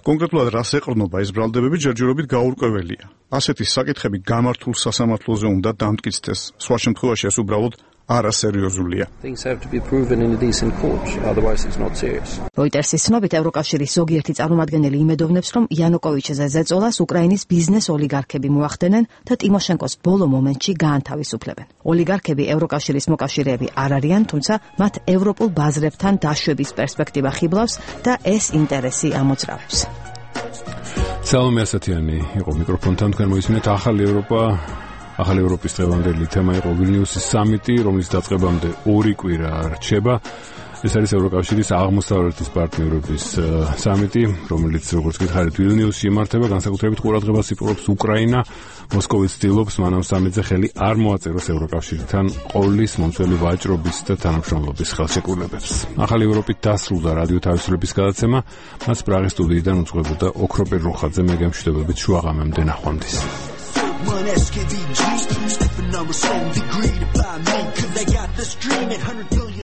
კონკრეტულად რას ეყრდნობა ეს ბრალდებები ჯერჯერობით გაურკვეველია. ასეთი საკითხები გამართულ სასამართლოზე უნდა დამტკიცდეს. სხვა შემთხვევაში ეს უბრალოდ არასერიოზულია. Things have to be proven in a decent court, otherwise it's not serious. როიტერსის ცნობით ევროკავშირის ზოგიერთი წარმომადგენელი იმედოვნებს, რომ იანუკოვიჩზე ზეწოლას უკრაინის ბიზნეს ოლიგარქები მოახდენენ და ტიმოშენკოს ბოლო მომენტში გაანთავისუფლებენ. ოლიგარქები ევროკავშირის მოკავშირეები არ არიან, თუმცა მათ ევროპულ ბაზრებთან დაშვების პერსპექტივა ხიბლავს და ეს ინტერესი ამოძრავებს. სალომე ასათიანი იყო მიკროფონთან, თქვენ მოისმინეთ ახალი ევროპა ახალი ევროპის დღევანდელი თემა იყო ვილნიუსის სამიტი, რომლის დაწყებამდე ორი კვირა რჩება. ეს არის ევროკავშირის აღმოსავლეთის პარტნიორობის სამიტი, რომელიც როგორც გითხარით ვილნიუსში იმართება, განსაკუთრებით ყურადღებას იპყრობს უკრაინა. მოსკოვი ცდილობს მანამ სამიტზე ხელი არ მოაწეროს ევროკავშირთან ყოლის, მომცველი ვაჭრობის და თანამშრომლობის ხელშეკრულებებს. ახალი ევროპით დასრულდა რადიო თავისუფლების გადაცემა, მას პრაღის სტუდიიდან უძღვებოდა ოქროპირ რუხაძე, მე გემშვიდობებით შუაღამემდე ნახვამდის. One S K V G, stepping on a song degree to buy me, cause I got this dream at one hundred billion.